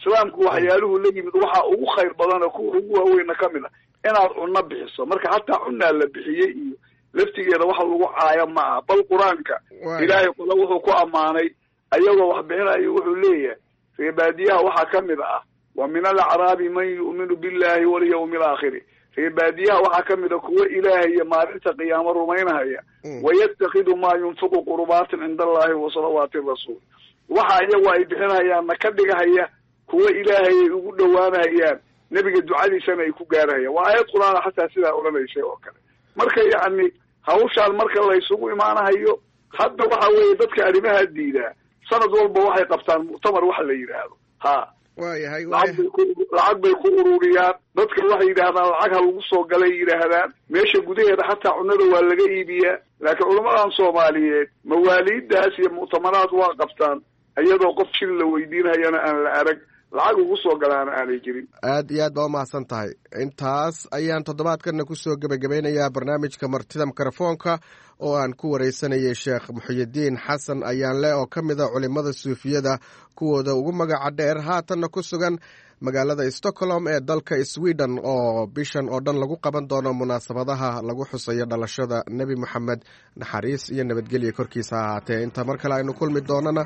Islaamku waxyaaluhu la yimid waxaa ugu khayr badan oo kuwa ugu waaweyna kamid a inaad cunno bixiso. Marka hataa cunnaa la bixiyey iyo laftigeeda wax lagu caayo ma aha, bal qur-aanka ilaahay qole wuxuu ku ammaanay ayagoo wax bixinayo, wuxuu leeyahay reebaadiyaha waxaa kamid ah wa min alacraabi man yu'minu billahi walyawmi alaakhiri. Reebaadiyaha waxaa kamid a kuwa ilaahay iyo maalinta qiyaamo rumaynahaya, wayattakidu maa yunfiqu qurbaatin cinda allahi wa salawaati rasuul. Waxa iyagu ay bixinahayaanna ka dhigahaya kuwa ilaahay ay ugu dhowaanahayaan, nebiga ducadiisana ay ku gaarahayaan. Waa aayad qur-aana xataa sidaa odhanaysay oo kale. Marka yacni hawshaan marka laysugu imaanahayo hadda waxa weeye dadka arrimaha diidaa sanad walba waxay qabtaan muctamar waxa la yidhaahdo. Ha, waayahay, lacag bay ku lacag bay ku ururiyaan dadka, waxay yidhaahdaan lacag ha lagu soo galay yidhaahdaan. Meesha gudaheeda xataa cunnada waa laga iibiyaa, laakiin culammadan soomaaliyeed mawaaliiddaas iyo muctamaraad waa qabtaan iyadoo qof shil la weydiinhayana aan la arag, lacag ugu soo galaana aanay jirin. Aad iyo aad baa umahadsan tahay. Intaas ayaan toddobaadkanna kusoo gebagabeynayaa barnaamijka martida mikrofoonka oo aan ku wareysanayay Sheekh Muxyidiin Xasan Ayaanle oo ka mid a culimada suufiyada kuwooda ugu magaca dheer, haatanna ku sugan magaalada Stockholm ee dalka Sweden, oo bishan oo dhan lagu qaban doono munaasabadaha lagu xusayo dhalashada Nebi Moxamed, naxariis iyo nabadgelya korkiisa ha ahaatee. Inta mar kale aynu kulmi doonana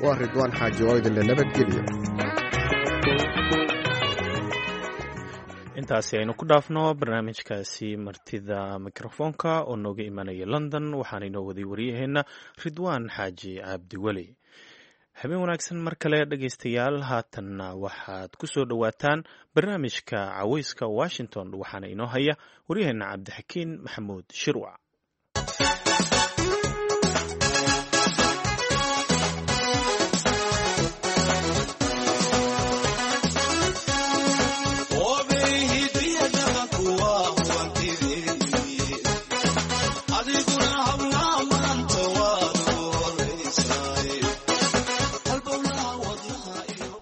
waa Ridwaan Xaaji oo idinle nabadgelyo. Intaasi aynu ku dhaafno barnaamijkaasi martida mikrofoonka oo nooga imanaya London, waxaana inoo waday waryaheena Ridwaan Xaaji Cabdiweli. Habeen wanaagsan mar kale dhegaystayaal. Haatanna waxaad ku soo dhowaataan barnaamijka Caweyska Washington, waxaana inoo haya waryaheena Cabdixakiin Maxamuud Shirwac.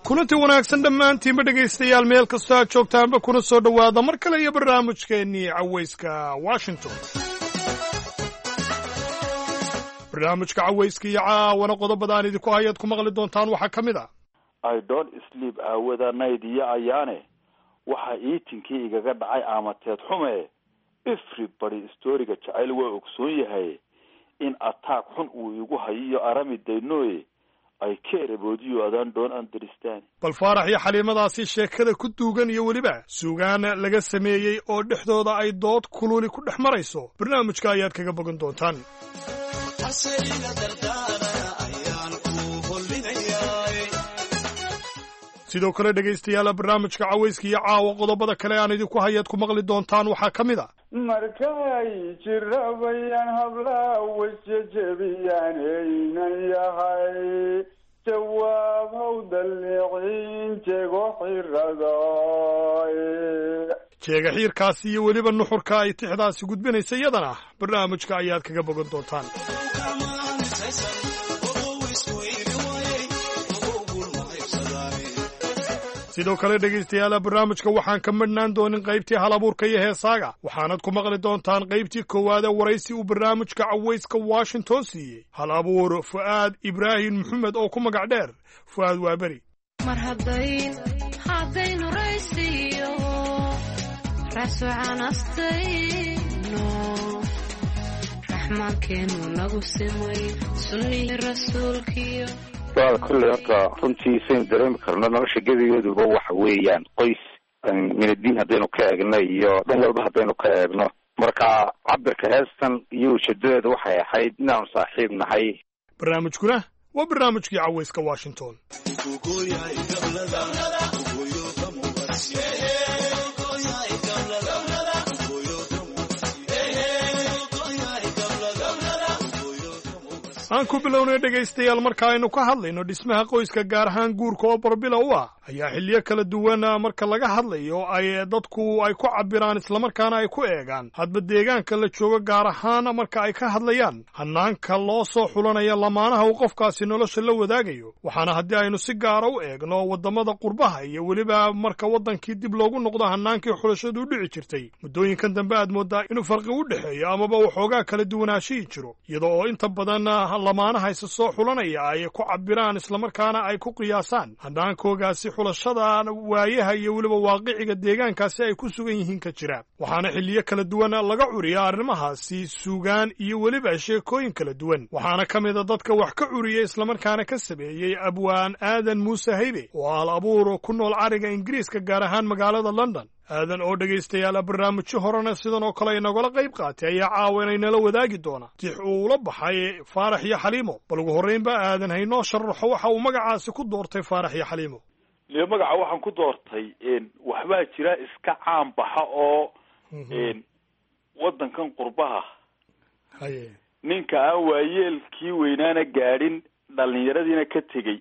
Kulanti wanaagsan dhammaantiinba dhegaystayaal, meel kastoo aad joogtaanba, kuna soo dhowaada mar kale iyo barnaamijkeennii Cawayska Washington. Barnaamijka Cawayska iyo caawana qodobada aan idinku hayaad ku maqli doontaan waxaa ka mid ah: I don't sleep aawada nayd iyo ayaane, waxa iitinkii igaga dhacay aamateed xume. Everybody storiga jacayl waa ogsoon yahay in ataag xun uu igu hayo iyo arami daynoye ay keeraboodiyo adaan doon understand. Bal Faarax iyo Xaliimadaasi sheekada ku duugan iyo weliba suugaan laga sameeyey oo dhexdooda ay dood kululi ku dhex marayso, barnaamijka ayaad kaga bogan doontaan. Sidoo kale dhegaystayaala, barnaamijka Cawayska iyo caawa qodobada kale aan idinku hayaad ku maqli doontaan waxaa ka mid a: Markay jirabayaan hablaha wasjejebiyaan eynan yahay jawaab haw dallicin jego xiradaay. Jeega xiirkaasi iyo weliba nuxurka ay tixdaasi gudbinaysa iyadana barnaamijka ayaad kaga bogan doontaan. Sidoo kale dhegaystayaala, barnaamijka waxaan ka madhnaan doonin qaybtii hal abuurka iyo heesaaga, waxaanad ku maqli doontaan qaybtii koowaade waraysi uu barnaamijka Cawayska Washington siiyey hal abuur Fu'aad Ibraahim Maxamed oo ku magac dheer Fu'aad Waaberi. Mar haddaynu raysiyo raasucanastayno, raxmaankeenu nagu simay sunnihii rasuulkiyo. Waa kolley horta runtii saynu dareemi karno nolosha gebigeeduba waxa weeyaan qoys, minadiin haddaynu ka eegno iyo dhan walba haddaynu ka eegno. Marka cabirka heestan iyo ujeedadeedu waxay ahayd inaanu saaxiib nahay. Barnaamijkuna waa barnaamijkii Cawayska Washington. Aan ku bilownay dhegaystayaal, marka aynu ka hadlayno dhismaha qoyska, gaar ahaan guurka oo barbila u ah, ayaa xilliyo kala duwan marka laga hadlayo ay dadku ay ku cabbiraan islamarkaana ay ku eegaan hadba deegaanka la joogo, gaar ahaan marka ay ka hadlayaan hannaanka loo soo xulanaya lamaanaha uu qofkaasi nolosha la wadaagayo. Waxaana haddii aynu si gaara u eegno waddamada qurbaha iyo weliba marka waddankii dib loogu noqdo hannaankii xulashadu u dhici jirtay muddooyinkan dambe, aad mooddaa inuu farqi u dhexeeyo amaba waxoogaa kala duwanaashihii jiro, iyadoo oo inta badan lamaanaha isa soo xulanaya ay ku cabiraan islamarkaana ay ku qiyaasaan hannaankoogaasi xulashada waayaha iyo weliba waaqiciga deegaankaasi ay ku sugan yihiin ka jira. Waxaana xilliyo kala duwan laga curiya arrimahaasi suugaan iyo weliba sheekooyin kala duwan. Waxaana ka mid a dadka wax ka curiya islamarkaana ka sameeyey abwaan Aadan Muuse Haybe oo al abuur ku nool cariga Ingiriiska, gaar ahaan magaalada London. Aadan oo dhegaystayaal barnaamijyo horena sidan oo kale inagala qayb qaatay ayaa caawa inaynala wadaagi doona tix uu ula baxay Faarax iyo Xaliimo. Bal ugu horreynba Aadan haynoo sharaxo waxa uu magacaasi ku doortay Faarax iyo Xaliimo. Liyo magaca waxaan ku doortay waxbaa jira iska caan baxa oo waddankan qurbaha haye ninka aan waayeelkii weynaana gaadhin dhallinyaradiina ka tegey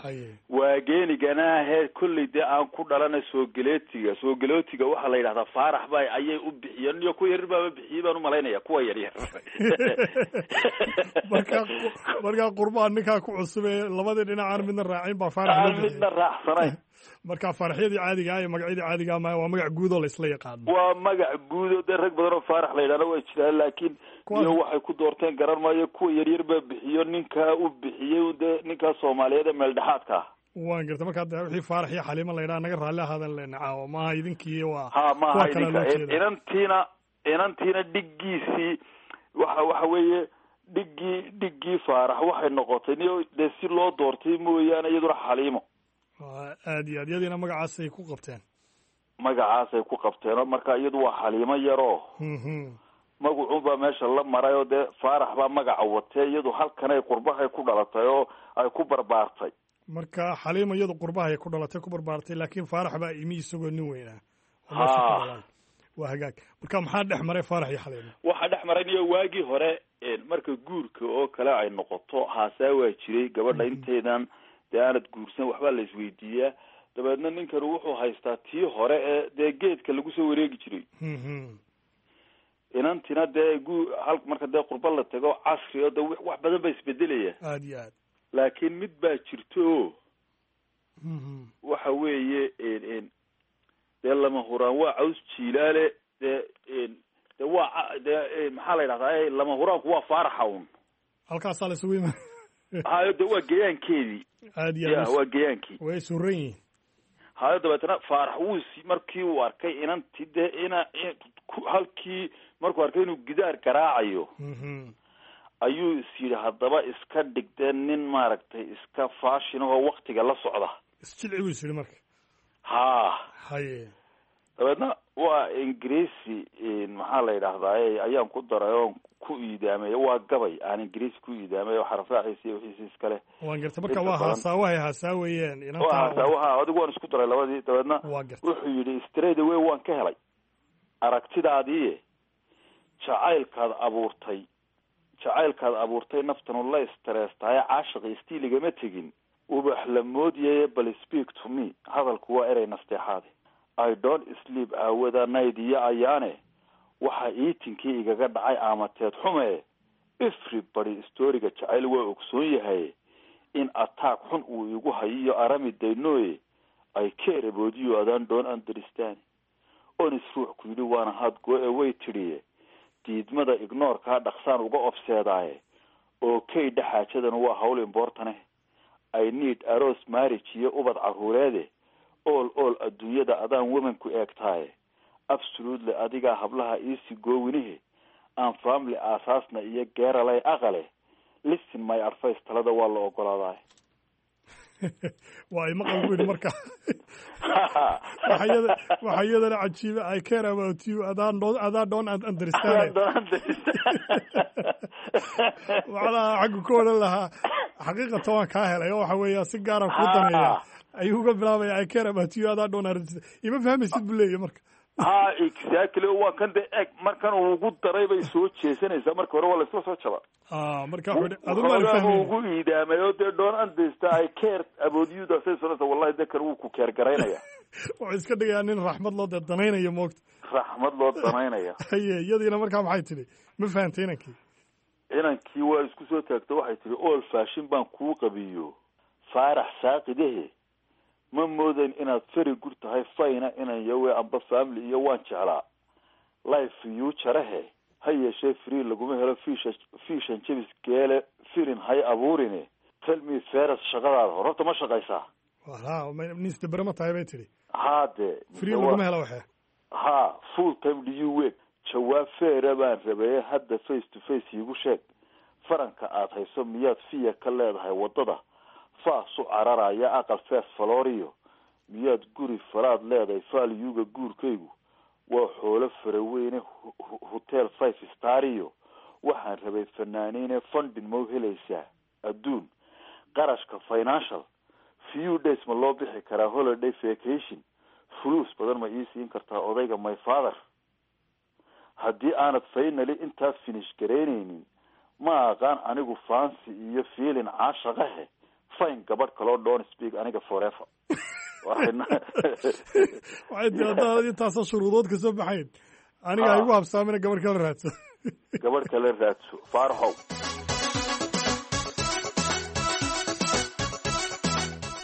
haye waageenigana ahee kolley dee aan ku dhalana soogeleetiga soogeleetiga waxaa la yidhahdaa Faarax ba ayay u bixiyeen iyo kuwa yaryar baaba bixiyey baan umalaynaya kuwa yaryar. Markaa markaa qurbaha ninkaa ku cusub ee labadii dhinac aan midna raacin baa Faarax loo aan bixiyey. Midna raacsanayn. Marka faaraxyadii caadiga ah iyo magacyadii caadiga ah ma waa magac guud oo la isla yaqaano. Waa magac guud oo dee rag badan oo Faarax la yidhahda waa jiraan, laakiin iyo waxay ku doorteen garan maayo. Kuwa yaryar baa bixiyo, ninkaa u bixiyey dee ninkaa Soomaaliyeed ee meel dhexaadka ah. Waan garta. Markaa dee wixii Faarax iyo Xaliimo la yidhaha naga raalli ahaadan lena caawa maaha idinkii waa ha maaha kuwa kale idinka loo jeeda. Inantiina inantiina dhiggiisii waxa waxa weeye dhiggii dhiggii Faarax waxay noqotay niyo dee si loo doortay mooyaane iyaduna Xaliimo. Waa aad iyo aad iyadiina magacaasay ku qabteen. Magacaasay ku qabteenoo marka iyadu waa Xaliimo yaroo Mhm. magacuunbaa meesha la maray oo dee Faarax baa magaca watee, iyadu halkanay qurbahay ku dhalatay oo ay ku barbaartay. Marka Xaliimo iyadu qurbahay ku dhalatay ku barbaartay, laakiin Faarax baa imi isagoo nin weynaa oo meesha ku Ha. dhalan. Waa hagaag. Marka maxaa dhex maray Faarax iyo Xaliimo? Waxaa dhex maray niyo waagii hore marka guurka oo kale ay noqoto haasaa waa jiray gabadha intaydan dee aanad guursan waxbaa la isweydiiyaa. Dabeedna ninkan wuxuu haystaa tii hore ee dee geedka lagu soo wareegi jiray. Mhm. Inantina dee guu hal marka dee qurba la tago casri oo dee wax badan baa isbedelaya. Aad iyo aad. Laakiin mid baa jirto oo Mhm. waxa weeye dee lama huraan waa caws jiilaale dee dee waa dee maxaa la yidhahdaa lama huraanku waa Faaraxa un. Halkaasaa la isugu yima. Hayo dee waa geyaankeedii. Aad iyo ya aad. Waa geyaankii. Way suran yihiin. Hayo dabeetana Faarax wuu si markii uu arkay inanti dee ina halkii markuu arkay inuu gidaar garaacayo Mhm. ayuu is yidhi haddaba iska dhigdee nin maaragtay iska fashion ahoo waktiga la socda. Isjilci buu is yidhi marka. Ha. Haye. Dabeedna waa Ingiriisi maxaa la yidhahdaa ayaan ku daray oon ku iidaamay, waa gabay aan Ingiriisi ku iidaamay oo xarafraaciisa iyo wixiisa iskale. Waan garta. Marka Inta waa badan. haasaawahay haasaawayeen waa inantaa. Haasaawaha adigu waan isku daray labadii. Dabeedna waa garta. Wuxuu yidhi straight away waan ka helay aragtidaadii, jacaylkaad abuurtay jacaylkaad abuurtay naftanu la istreestaye caashiqi istiiligama tegin ubax la moodyaye bal speak to me hadalku waa erey nasteexaade. I don't sleep aawada night iyo ayaane waxa iitinkii igaga dhacay aamateed xume. Everybody storyga jacayl waa ogsoon yahay in attack xun uu igu hayiyo arami daynoye. I care about you adaan don't understand onis ruux ku yidhi waana had go away tidhiye diidmada ignoorkaa dhaqsaan uga obseedaaye oo kay dhexaajadan waa hawl importane. I need aroos marriage iyo ubad caruureede all all adduunyada adaan womanku eegtaaye absolutely adigaa hablaha iisi goowinihe aan family aasaasna iyo geeralay aqale listen my advice talada waa la ogolaadaay. Waa imaqal buu yidhi. Marka waxa iyada waxa iyadana cajiiba I care about you adaan don't adaan don't understand. Macnaha xaggu ku odhan lahaa xaqiiqatan waan kaa helay oo waxa weeya si gaaraan kuu daneeya ayuu uga bilaabaya I care about you adaan don't understand ima fahmaysid buu leeyahy marka. Ha, exactly, waa kan de eg markan uu ugu daray bay soo jeesanaysaa. Marka hore waa laisla soo jaba. Ah, marka wuxuu yidhi adun baan Waxoogaa fahmaynin. ugu iidaamay oo dee don't understand I care about you daasay sonaysa wallahi de kan wuu ku keer garaynaya. Wuxuu iska dhigayaa nin raxmad loo dee danaynayo moogta. Raxmad loo danaynaya. Haye, iyadiina markaa maxay tidhi? Ma fahantay inankii? Inankii waa isku soo taagto, waxay tihi all fashion baan kuu qabiyo Faarax saaqidahe ma moodayn inaad feri gur tahay fayna inan yawe amba family iyo waan jeclaa life future-he. Ha yeeshee free laguma helo fiisha fiishan jebis geele firin hay abuurine. Tell me feras, shaqadaada hor horta ma shaqaysaa? Ha, nin ma tahay bay tidhi. Haade. Free laguma helo waxe. Ha, full time do you work? Jawaab feera baan rabaye, hadda face to face iigu sheeg, faranka aad hayso miyaad fiya ka leedahay waddada faasu cararaya aqal fees falooriyo miyaad guri falaad leedahay? Faalyuga guurkaygu waa xoolo faraweyne, hotel five stariyo waxaan rabay fanaaniine, funding mau helaysaa adduun qarashka financial? Few days ma loo bixi karaa holiday vacation? Fuluus badan ma ii siin kartaa odayga my father? Haddii aanad finally intaas finish garaynaynin, ma aqaan anigu fancy iyo feeling caashaqahe, fine, gabadh kaloo, don't speak aniga forever. Waxay tii haddaad intaasoo shuruudood ka soo baxayn, aniga ha igu habsaamina, gabadh kala raadso. Gabadh kala raadso, Faaraxow.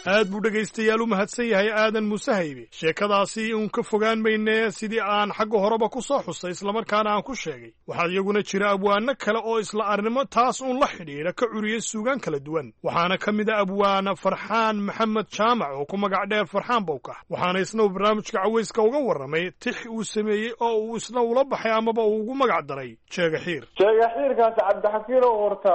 Aad buu dhegaystayaal u mahadsan yahay Aadan Muuse Haybe. Sheekadaasi uun ka fogaan mayne, sidii aan xagga horeba ku soo xusay islamarkaana aan ku sheegay, waxaa iyaguna jira abwaano kale oo isla arrimo taas uun la xidhiidha ka curiyey suugaan kala duwan. Waxaana ka mid a abwaana Farxaan Maxamed Jaamac oo ku magac dheer Farxaan Bowkax. Waxaana isna uu barnaamijka cawayska uga warramay tix uu sameeyey oo uu isna ula baxay amaba uu ugu magac daray Jeega Xiir. Jeega Xiirkaasi, Cabdixakiinow, horta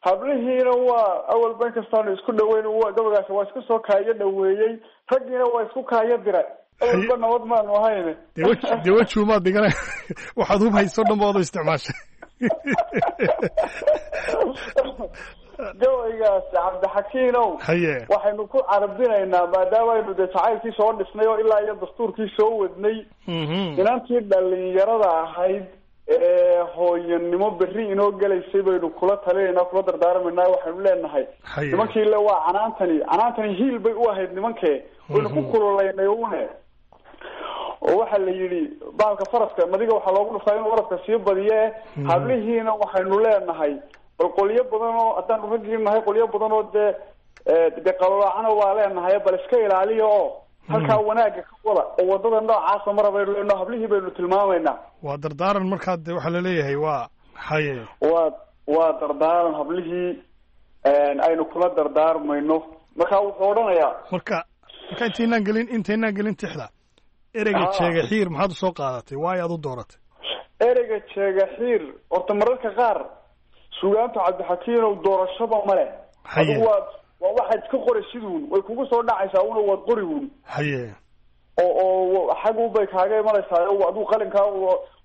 hablihiina waa awalba inkastaanu isku dhaweyn, gabagaasi waa isku soo kaayo dhaweeyey, raggiina waa isku kaayo diray, awalba nabad maanu ahayn. Dee wej dee wejuumaad dhigana, waxaad hub hayso dhan baad u isticmaashay. Gabaygaasi, Cabdixakiinow, haye waxaynu ku carabinaynaa, maadaama aynu dee jacaylkii soo dhisnay oo ilaa iyo dastuurkii soo wadnay, inantii dhalinyarada ahayd ee hooyanimo berri inoo gelaysay baynu kula talinaynaa, kula dardaarmaynaa. Waxaynu leenahay nimankii le waa canaantani, canaantani hiil bay u ahayd nimankee, waynu ku kululaynay une. Oo waxaa la yidhi bahalka faraska madiga waxaa loogu dhuftaa inuu oradka sii badiye. Hablihiina waxaynu leenahay, bal qolyo badan oo haddaanu raggii nahay, qolyo badan oo dee dee qalolaacana waa leenahay, bal iska ilaaliya oo halkaa wanaagga ka wada oo wadada noocaasa mara baynu leenaho, hablihii baynu tilmaamaynaa. Waa dardaaran markaa de waxaa laleeyahay waa haye. Waa waa dardaaran hablihii aynu kula dardaarmayno. Marka wuxuu odhanayaa Marka marka intaynaan gelin intaynaan gelin tixda, ereyga jeega xiir maxaad usoo qaadatay? Waayo aad u dooratay? Ereyga jeega xiir horta mararka qaar sugaanta, Cabdixakiinow, doorashaba male. Adigu waa waa waxaad iska qoraysiduun, way kugu soo dhacaysaa una, waad qori uun. Haye oo oo xag un bay kaaga imanaysaa, adigu qalinkaa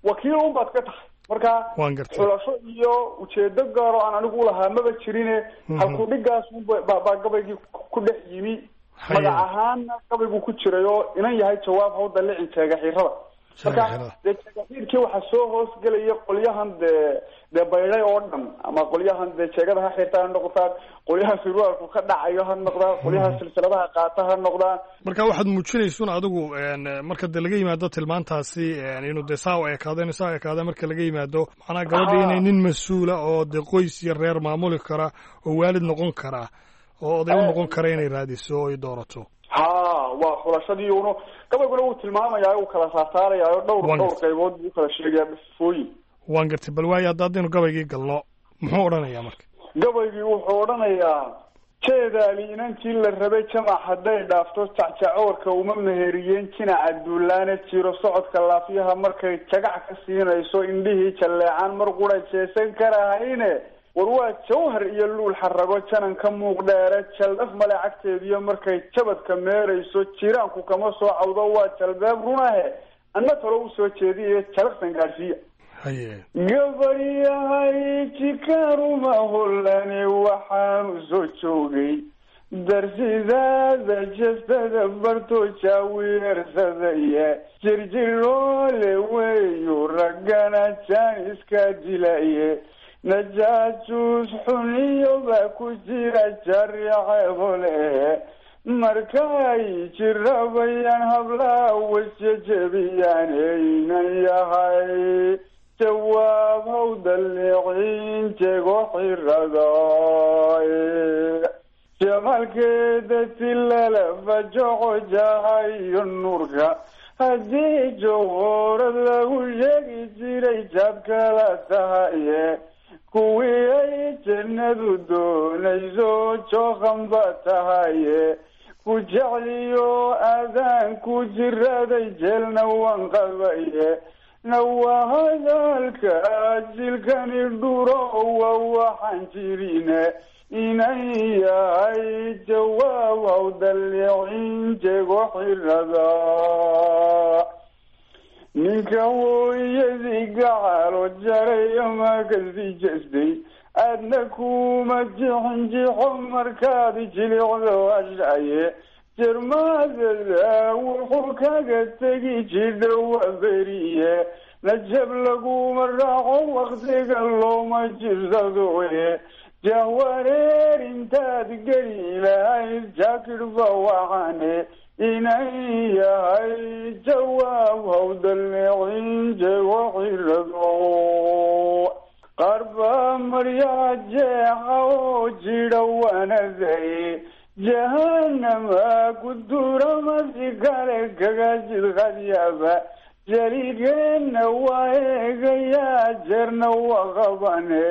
wakiil un baad ka tahay. Marka waan gartay. Xulasho iyo ujeedo gaaro aan anigu ulahaa maba jirine, halku dhigaas unba baa gabaygii ku dhex yimi, magac ahaanna gabaygu ku jiray oo inan yahay jawaab haw dalicin jeega xiirada. Marka dee jeegaxiirkii waxaa soo hoos gelaya qolyahan dee dee baydhay oo dhan, ama qolyahan dee jeegada ha xirta ha noqdaan, qolyaha surwaalku ka dhacayo ha noqdaan, qolyaha silsiladaha qaata ha noqdaan. Marka waxaad muujinaysun adigu, marka dee laga yimaado tilmaantaasi inuu dee saa u ekaado, inuu saa u ekaado, marka laga yimaado macnaha gabadha inay nin mas-uula oo dee qoys iyo reer maamuli kara oo waalid noqon kara oo oday u noqon kara inay raadiso oo ay doorato. Ha, waa xulashadii uno, gabayguna wuu tilmaamayaa, uu kala saarsaarayaa oo dhowr dhowr qaybood buu ukala sheegayaa sifooyin. Waan gartay. Bal waayo, hadda haddaynu gabaygii galno, muxuu odhanayaa marka? Gabaygii wuxuu odhanayaa: jeedaali inantii la rabay jamac hadday dhaafto, jacjacoorka uma meheriyeen jinaca duulaane, jiro socodka laafyaha markay jagac ka siinayso, indhihii jalleecaan mar qura jeesan karahayne, war waa jawhar iyo luul xarago, janan ka muuq dheere, jaldhaf male cagteediyo markay jabadka meerayso, jiraanku kama soo cawdo, waa jalbeeb runahe, anna talo usoo jeediye jalaqsan gaadhsiiya. Haye Gabaryahay jikaaruma hollani, waxaanu soo joogay darsidaada jestada barto jaawiirsadaya, jirjiroole weeyu raggana jaan iska dilaye, najaajuus xuniyo baa ku jira jariceebole, markay jirabayaan hablaha wasjejebiyaan, eynan yahay jawaab haw dallicin jego xirada, jamaalkeeda tilala fajoco jahayo nuurka haddii joqoray. Joorad lagu sheegi jiray jaad kala tahaye, kuwii ay jannadu doonayso jooqan ba tahaye. Ku jecliyo aadaan ku jiraday, jeelna waan qabaye. Nawa hadalka jilkani dhuro wa waxaan jirine, inan yahay jawaab haw dallicin jego xirada. Ninka hooyadii gacalo jaray ama kasii jestay, aadna kuma jixinjixo markaad jilicdo ashaye. Jermaadada wuxuu kaga tegi jidha waa beriye, najab laguma raaco waktiga looma jirsadoye. Jahwareer intaad geli lahayd jaakidhba waxaane, inan yahay jawaab haw dallicin jego xirado. Qaar baa maryaha jeexa oo jidha wanaday, jahanama ku duramasi kale kaga jidqadyaba. Jaliilkeenna waa eegayaa, jeerna waa qabane.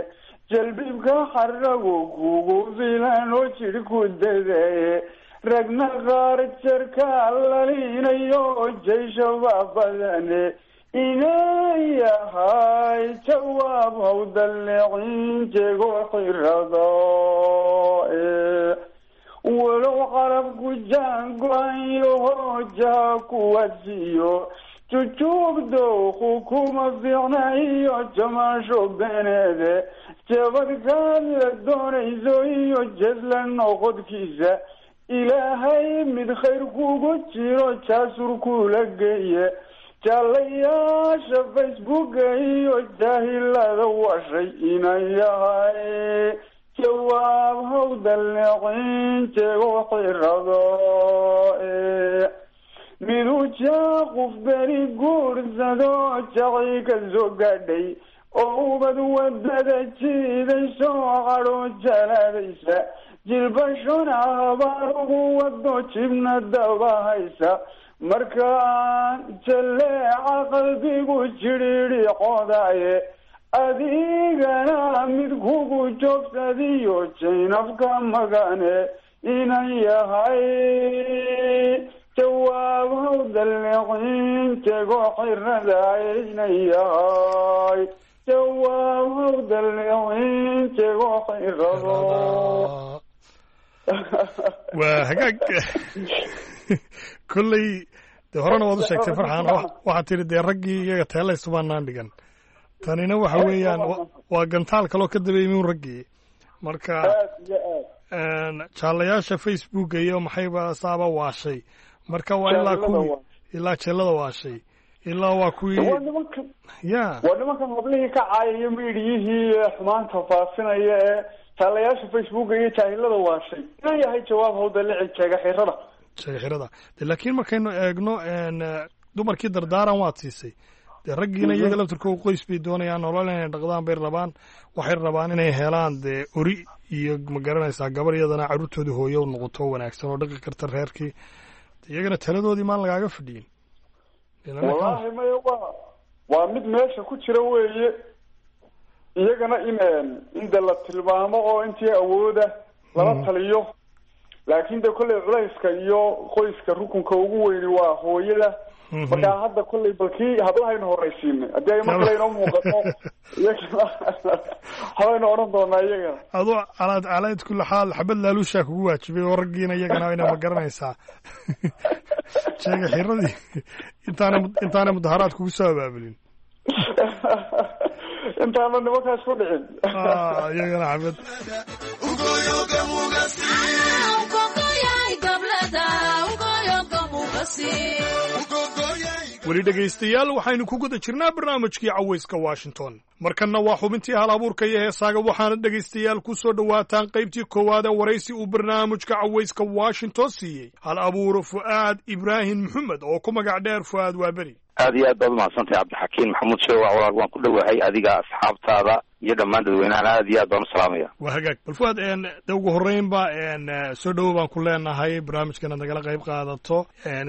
Jalbibka xaragu kugu filan oo jidh ku dadaye. Ragna qaar jarka lalinayo jayshabaa badane, inan yahay jawaab haw dallicin jego xirado. Walow carabku jaan go-anyo hoojaha kuwasiiyo, jujuub dowku kuma fiicna iyo jamaasho beneede. Jabadkaad la doonayso iyo jesla noqodkiisa, ilaahay mid khayr kugu jiro jaasur kula geeye. Jaalayaasha Facebooka iyo jaahilada washay, inan yahay jawaab haw dallicin jego xirado. Miduu jaaquf beri guursado jaci ka soo gaadhay, oo ubad wadada jiidayso cadho jalaadaysa, jilbashona habaar ugu wado jibna daba haysa. Markaan jaleeca qalbigu jidhiidhi qodaaye, adigana mid kugu joogsadiyo jaynafka magane, inan yahay jawaab haw dallicin jego xirada, inan yahay jawaab haw dallicin jego xirado. Waa hagaag. Kolley dee horena waad u sheegtay, Farxaan, waxaad tidhi dee raggii iyaga teelaysu baanaan dhigan. Tanina waxa weeyaan waa gantaal kaloo ka daba yimi un raggii. Marka jaalayaasha Facebooka iyo maxayba saaba waashay, marka waa ilaa kuwii ilaa jeelada waashay ilaa waa kuwii. Waa nimankan ya waa nimankan hablihii ka caayaya miidhiyihii xumaanta faafinaya ee jaalayaasha Facebooka iyo jaahilada waashay, inan yahay jawaab haw dallici jeega xirada. Jeega xirada de. Laakiin markaynu eegno dumarkii dardaaran waad siisay, dee raggiina iyaga laftirkooda qoys bay doonayaan, nolol inay dhaqdaan bay rabaan. Waxay rabaan inay helaan dee ori iyo ma garanaysaa gabar iyadana carruurtooda hooyo noqoto wanaagsan oo dhaqi karta reerkii. Iyagana taladoodii maan lagaaga fadhiyin? Wallaahi maya, waa waa mid meesha ku jira weeye iyagana in in de la tilmaamo oo intii awooda lala taliyo. Laakiin de kolley culayska iyo qoyska rukunka ugu weyni waa hooyada. Markaa hadda kolley balkii hablahaynu horaysiinay, haddii ay mar kale inoo muuqato iyagana habaynu odhan doonaa iyagana. Aduu calaad calayd kulli xaal xabad laalushaa kugu waajibay oo raggiina iyagana ina ma garanaysaa sheega xiradii intaana intaana mudaharaad kugu soo abaabulin. Intaana nimankaas ku dhicin. Iyagana xabad. Weli dhegaystayaal, waxaynu ku guda jirnaa barnaamijkii Cawayska Washington. Markanna waa xubintii hal abuurka iyo heesaaga. Waxaana dhegaystayaal ku soo dhowaataan qaybtii koowaad ee waraysi uu barnaamijka Cawayska Washington siiyey hal abuur Fu'aad Ibraahim Maxamed oo ku magac dheer Fu'aad Waaberi. Aad iyo aad baad umahadsantahay, Cabdixakiin Maxamuud Sheewac. Walaal, waan ku dhowahay adiga, asxaabtaada Iyo dhammaan dadweynahan aad iyo aad baan u salaamaya. Waa hagaag. Bal Fuaad, de ugu horreynba soo dhowo baan ku leenahay barnaamijkan aad nagala qayb qaadato,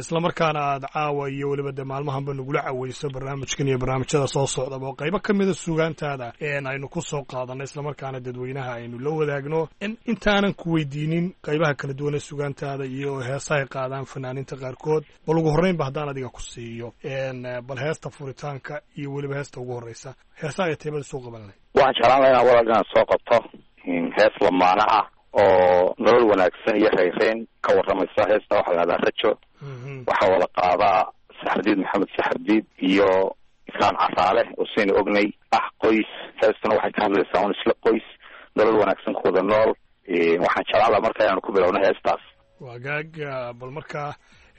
islamarkaana aad caawa iyo weliba de maalmahanba nagula caweyso barnaamijkan iyo barnaamijyada soo socdaba oo qaybo ka mida suugaantaada aynu ku soo qaadanno, islamarkaana dadweynaha aynu la wadaagno. Intaanan ku weydiinin qaybaha kala duwan ee suugaantaada iyo heesahay qaadaan fanaaninta qaarkood, bal ugu horreynba haddaan adiga ku siiyo bal heesta furitaanka iyo weliba heesta ugu horreysa, heesaha ay teebada soo qaban lahayd. Waxaan jeclaan laha inaan walaal inaan soo qabto hees lamaana ah oo nolol wanaagsan iyo rayreyn ka warramaysa. Heesta waxaa la hahdaa Rajo. Waxaa wada qaadaa Saxardiid Maxamed Saxardiid iyo Islaan Casaale oo saynu ognay ah qoys. Heestuna waxay ka hadlaysaa un isla qoys nolol wanaagsan ku wada nool. Waxaan jeclaan laha marka inaanu ku bilowno heestaas. Wagaag, bal markaa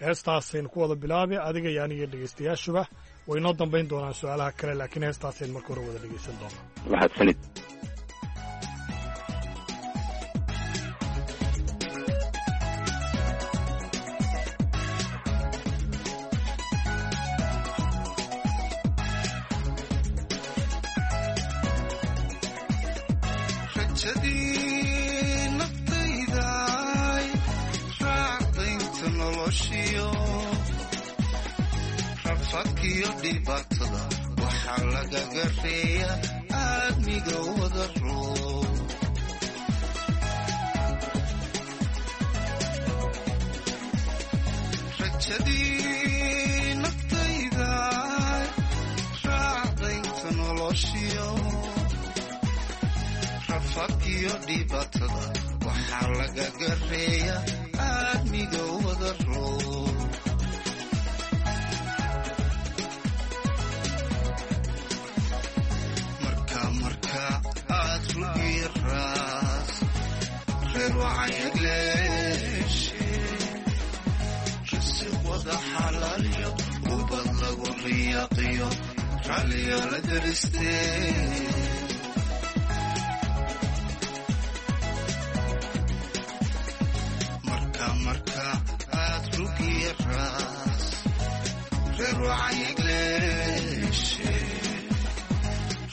heestaasaynu ku wada bilaabi adiga iyo aniga dhegeystayaashuba. Way noo dambayn doonaan su-aalaha kale, laakiin heestaasaynu marka hore wada dhegeysan doonaa. Mahadsanid. Waxaa lagaga reeya aadmiga wada roo, rajadii naftayda raacdaynta noloshiyo rafaadkiyo dhibaatada. Waxaa lagaga reeya aadmiga wada roo. Risiqwada xalaaliyo ubad lagu riyaqiyo ralliyo la daristee. Marka marka aad rugiya raas reer wacayagleeshe,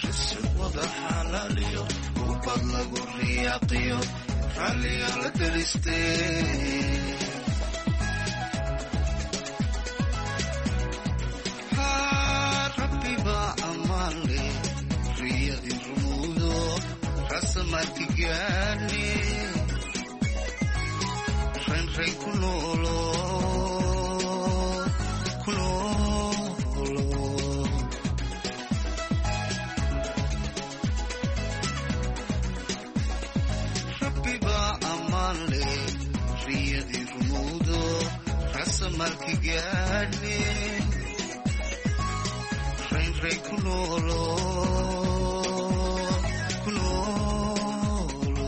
risiqwada xalaaliyo ubad lagu riyaqiyo ralliyo la daristee. Rabbiba ammaan leh riyadii rumuudo rasamarki gaadhe, raynrayn ku noolo ku noolo. Rabbiba ammaan leh riyadii rumuudo rasamarki gaadhe, raynrayn ku noolo ku noolo.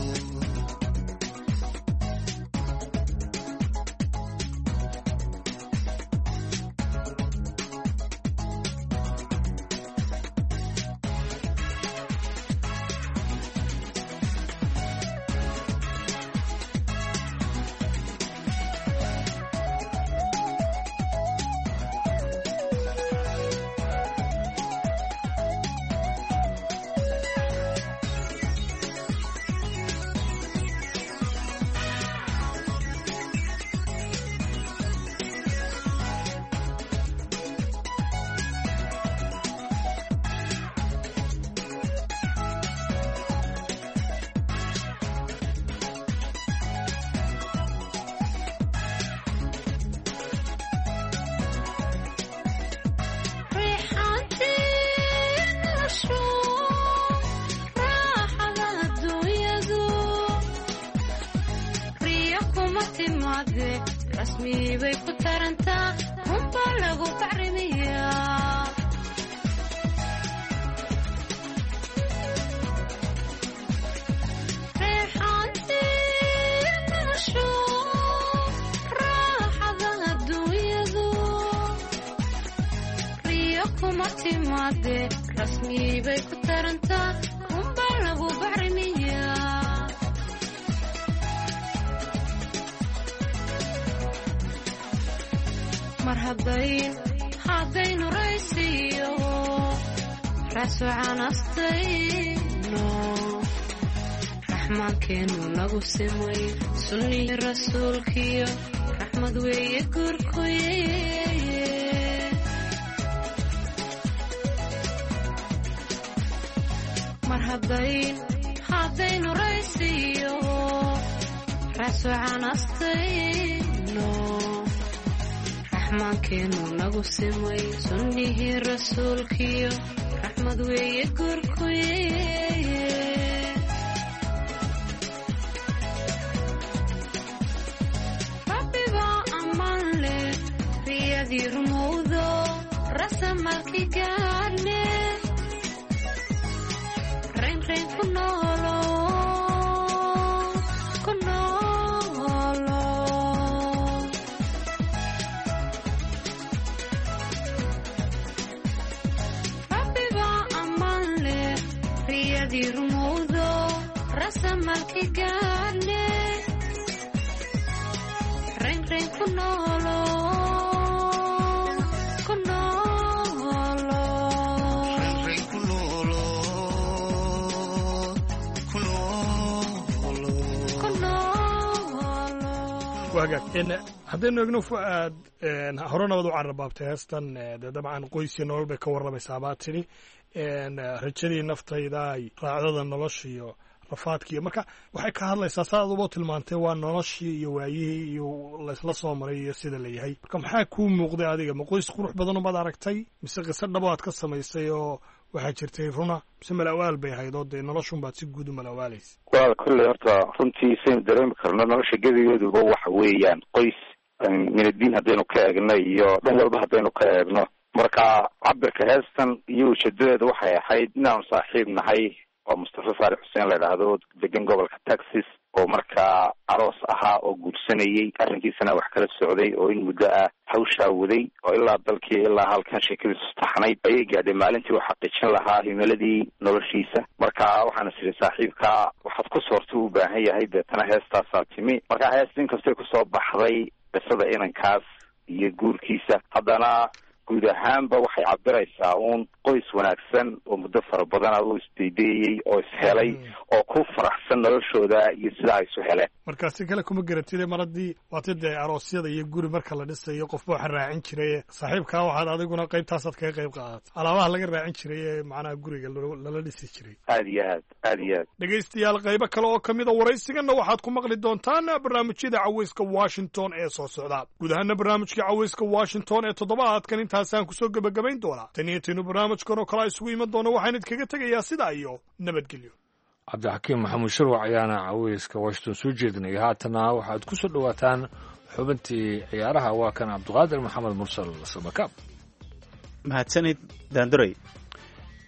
Rasmi bay ku tarantaa, runbaa lagu bacrimiyaa. Reexaantii noloshu, raaxada adduunyadu, riyo kuma timaade. Rasmi bay ku tarantaa, runbaa lagu bacrimiyaa. Mar haddayn haddaynu raysiyo raasocanastayno. bacrimayno, raxmaankeenu nagu simay sunnihii rasuulkiyo raxmad weeye guurkuye. Mar haddayn haddaynu raysiyo raasucanastayno, raxmaankeenu nagu simay sunnihii rasuulkiyo raxmad weeye guurkuye. Rabbibaa ammaan leh riyadii rumowdo rasamalki gaadhne, raynrayn ku noolo ku noolo. Rabbibaa ammaan leh riyadii rumowdo rasamalki gaadhne, raynrayn ku noolo ku noolo. Raynrayn ku noolo ku noolo. Ku noolo. Wagaag, n haddaynu eegno Fu'aad, hore nabad u carrabaabtay heestan, dee dabcan qoysiyo nolol bay ka warramaysaa baa tidhi, rajadii naftayda, raacdada nolosha iyo rafaadkiiyo. Marka waxay ka hadlaysaa, saad aduba tilmaantay, waa noloshii iyo waayihii iyo laysla soo maray iyo sida la yahay. Marka maxaa kuu muuqday adiga? Ma qoys qurux badan umaad aragtay, mise qiso dhabo aad ka samaysay oo waxaa jirtay runa, mise malawaal bay ahayd oo dee noloshunbaad si guud u malawaalaysa? Walaal, kolley horta runtii saynu dareemi karno nolosha gebigeeduba waxa weeyaan qoys, min addiin haddaynu ka eegno iyo dhan walba haddaynu ka eegno. Marka cabirka heestan iyo ujeedadeeda waxay ahayd inaanu saaxiib nahay oo Mustafa Faarax Xuseen la idhaahdo, degan gobolka Texas, oo markaa aroos ahaa oo guursanayay, arrinkiisana wax kala socday oo in muddo ah hawshaa waday oo ilaa dalkii ilaa halkan sheekadiisu taxnayd ayay gaadhay maalintii uu xaqiijin lahaa himiladii noloshiisa. Marka waxaan is idhi saaxiibka waxaad ku soorta u baahan yahay, deetana heestaasaa timi. Marka heesta inkastay kusoo baxday qisada inankaas iyo guurkiisa, haddana guud ahaanba waxay cabiraysaa uun qoys wanaagsan oo muddo fara badan oo isdaydeeyey oo ishelay oo ku faraxsan noloshooda iyo sidaa ay isu heleen. Marka si kale kuma garatide, mar haddii waati dee aroosyada iyo guri marka la dhisayo qofba waxa raacin jiray saaxiibkaa, waxaad adiguna qaybtaasaad kaga qayb qaadatay alaabaha laga raacin jiray ee macnaha guriga loo- lala dhisi jiray. Aada iyo aad, aada iyo aad. Dhegaystayaal, qaybo kale oo ka mid a waraysiganna waxaad ku maqli doontaan barnaamijyada Caweyska Washington ee soo socda. Guud ahaana barnaamijkii Caweyska Washington ee toddobaadkan intaasaan kusoo gebagabayn doonaa. Tan iyo taynu barnaamijkan oo kale isugu iman doono, waxaan idinkaga tegayaa sidaa iyo nabadgelyo. Cabdixakiim Maxamuud Sharwac ayaana Caweyska Washington soo jeedinaya. Haatana waxaad ku soo dhowaataan xubintii ciyaaraha. Waa kan Cabdiqaadir Maxamed Mursal Sabakaab. Mahadsanid, Daanduray.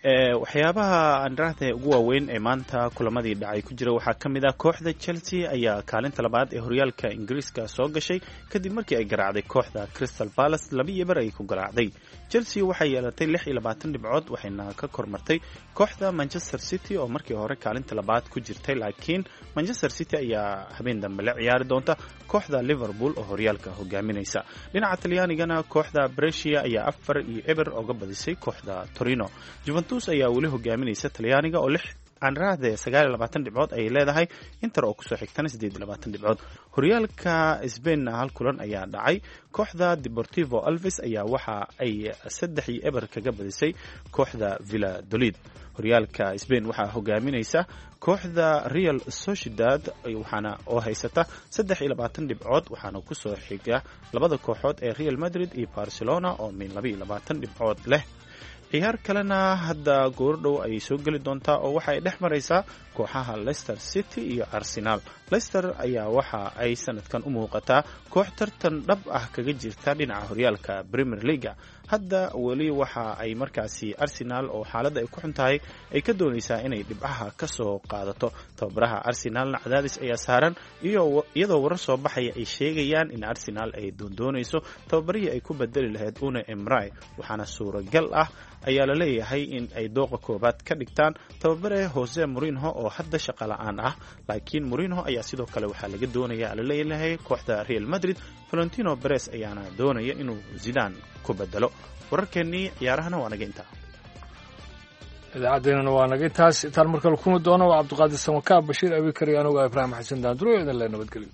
Waxyaabaha aan raahda ugu waaweyn ee maanta kulamadii dhacay ku jira waxaa ka mid ah kooxda Chelsea ayaa kaalinta labaad ee horyaalka Ingiriiska soo gashay kadib markii ay garaacday kooxda Crystal Palace, laba iyo bar ay ku garaacday. Chelsea waxay yeelatay lix iyo labaatan dhibcood, waxayna ka kormartay kooxda Manchester City oo markii hore kaalinta labaad ku jirtay, laakiin Manchester City ayaa habeen dambe la ciyaari doonta kooxda Liverpool oo horyaalka hogaaminaysa. Dhinaca Talyaanigana, kooxda Brescia ayaa afar iyo eber oga badisay kooxda Torino. Juventus ayaa weli hogaaminaysa Talyaaniga oo lix aanraahde sagaal iyo labaatan dhibcood ayay leedahay, Inter oo kusoo xigtana siddeed iyo labaatan dhibcood. Horyaalka Sbainna hal kulan ayaa dhacay. Kooxda Deportivo Alves ayaa waxa ay saddex iyo eber kaga badisay kooxda Villadolid. Horyaalka Sbain waxaa hogaaminaysa kooxda Real Sociedad, waxaana oo haysata saddex iyo labaatan dhibcood, waxaana kusoo xiga labada kooxood ee Real Madrid iyo Barcelona oo min laba iyo labaatan dhibcood leh. Ciyaar kalena hadda goordhow ayay soo geli doontaa oo waxa ay dhex maraysaa kooxaha Leicester City iyo Arsenal. Leicester ayaa waxa ay sanadkan u muuqataa koox tartan dhab ah kaga jirta dhinaca horyaalka Premier Leaga. Hadda weli waxa ay markaasi Arsenal oo xaaladda ay ku xun tahay ay ka doonaysaa inay dhibcaha ka soo qaadato. Tababaraha Arsenalna cadaadis ayaa saaran, iyadoo warar soo baxaya ay sheegayaan in Arsenal ay doondoonayso tababarihii ay ku bedeli lahayd Una Emray, waxaana suuragal ah ayaa la leeyahay in ay dooqa koobaad ka dhigtaan tababare Jose Mourinho oo hadda shaqo la-aan ah. Laakiin Mourinho ayaa sidoo kale waxaa laga doonaya la leeyahay kooxda Real Madrid. Valentino Perez ayaana doonaya inuu Zidane ku bedelo. Wararkeennii ciyaarahana waa naga intaa. Idaacaddeenana waa naga intaas. Intaan markale kulmi doono, waa Cabdiqaadir Samakaab, Bashiir Abikar iyo anugu Ibraahim Xasan Daanduro, idin le nabadgelyo.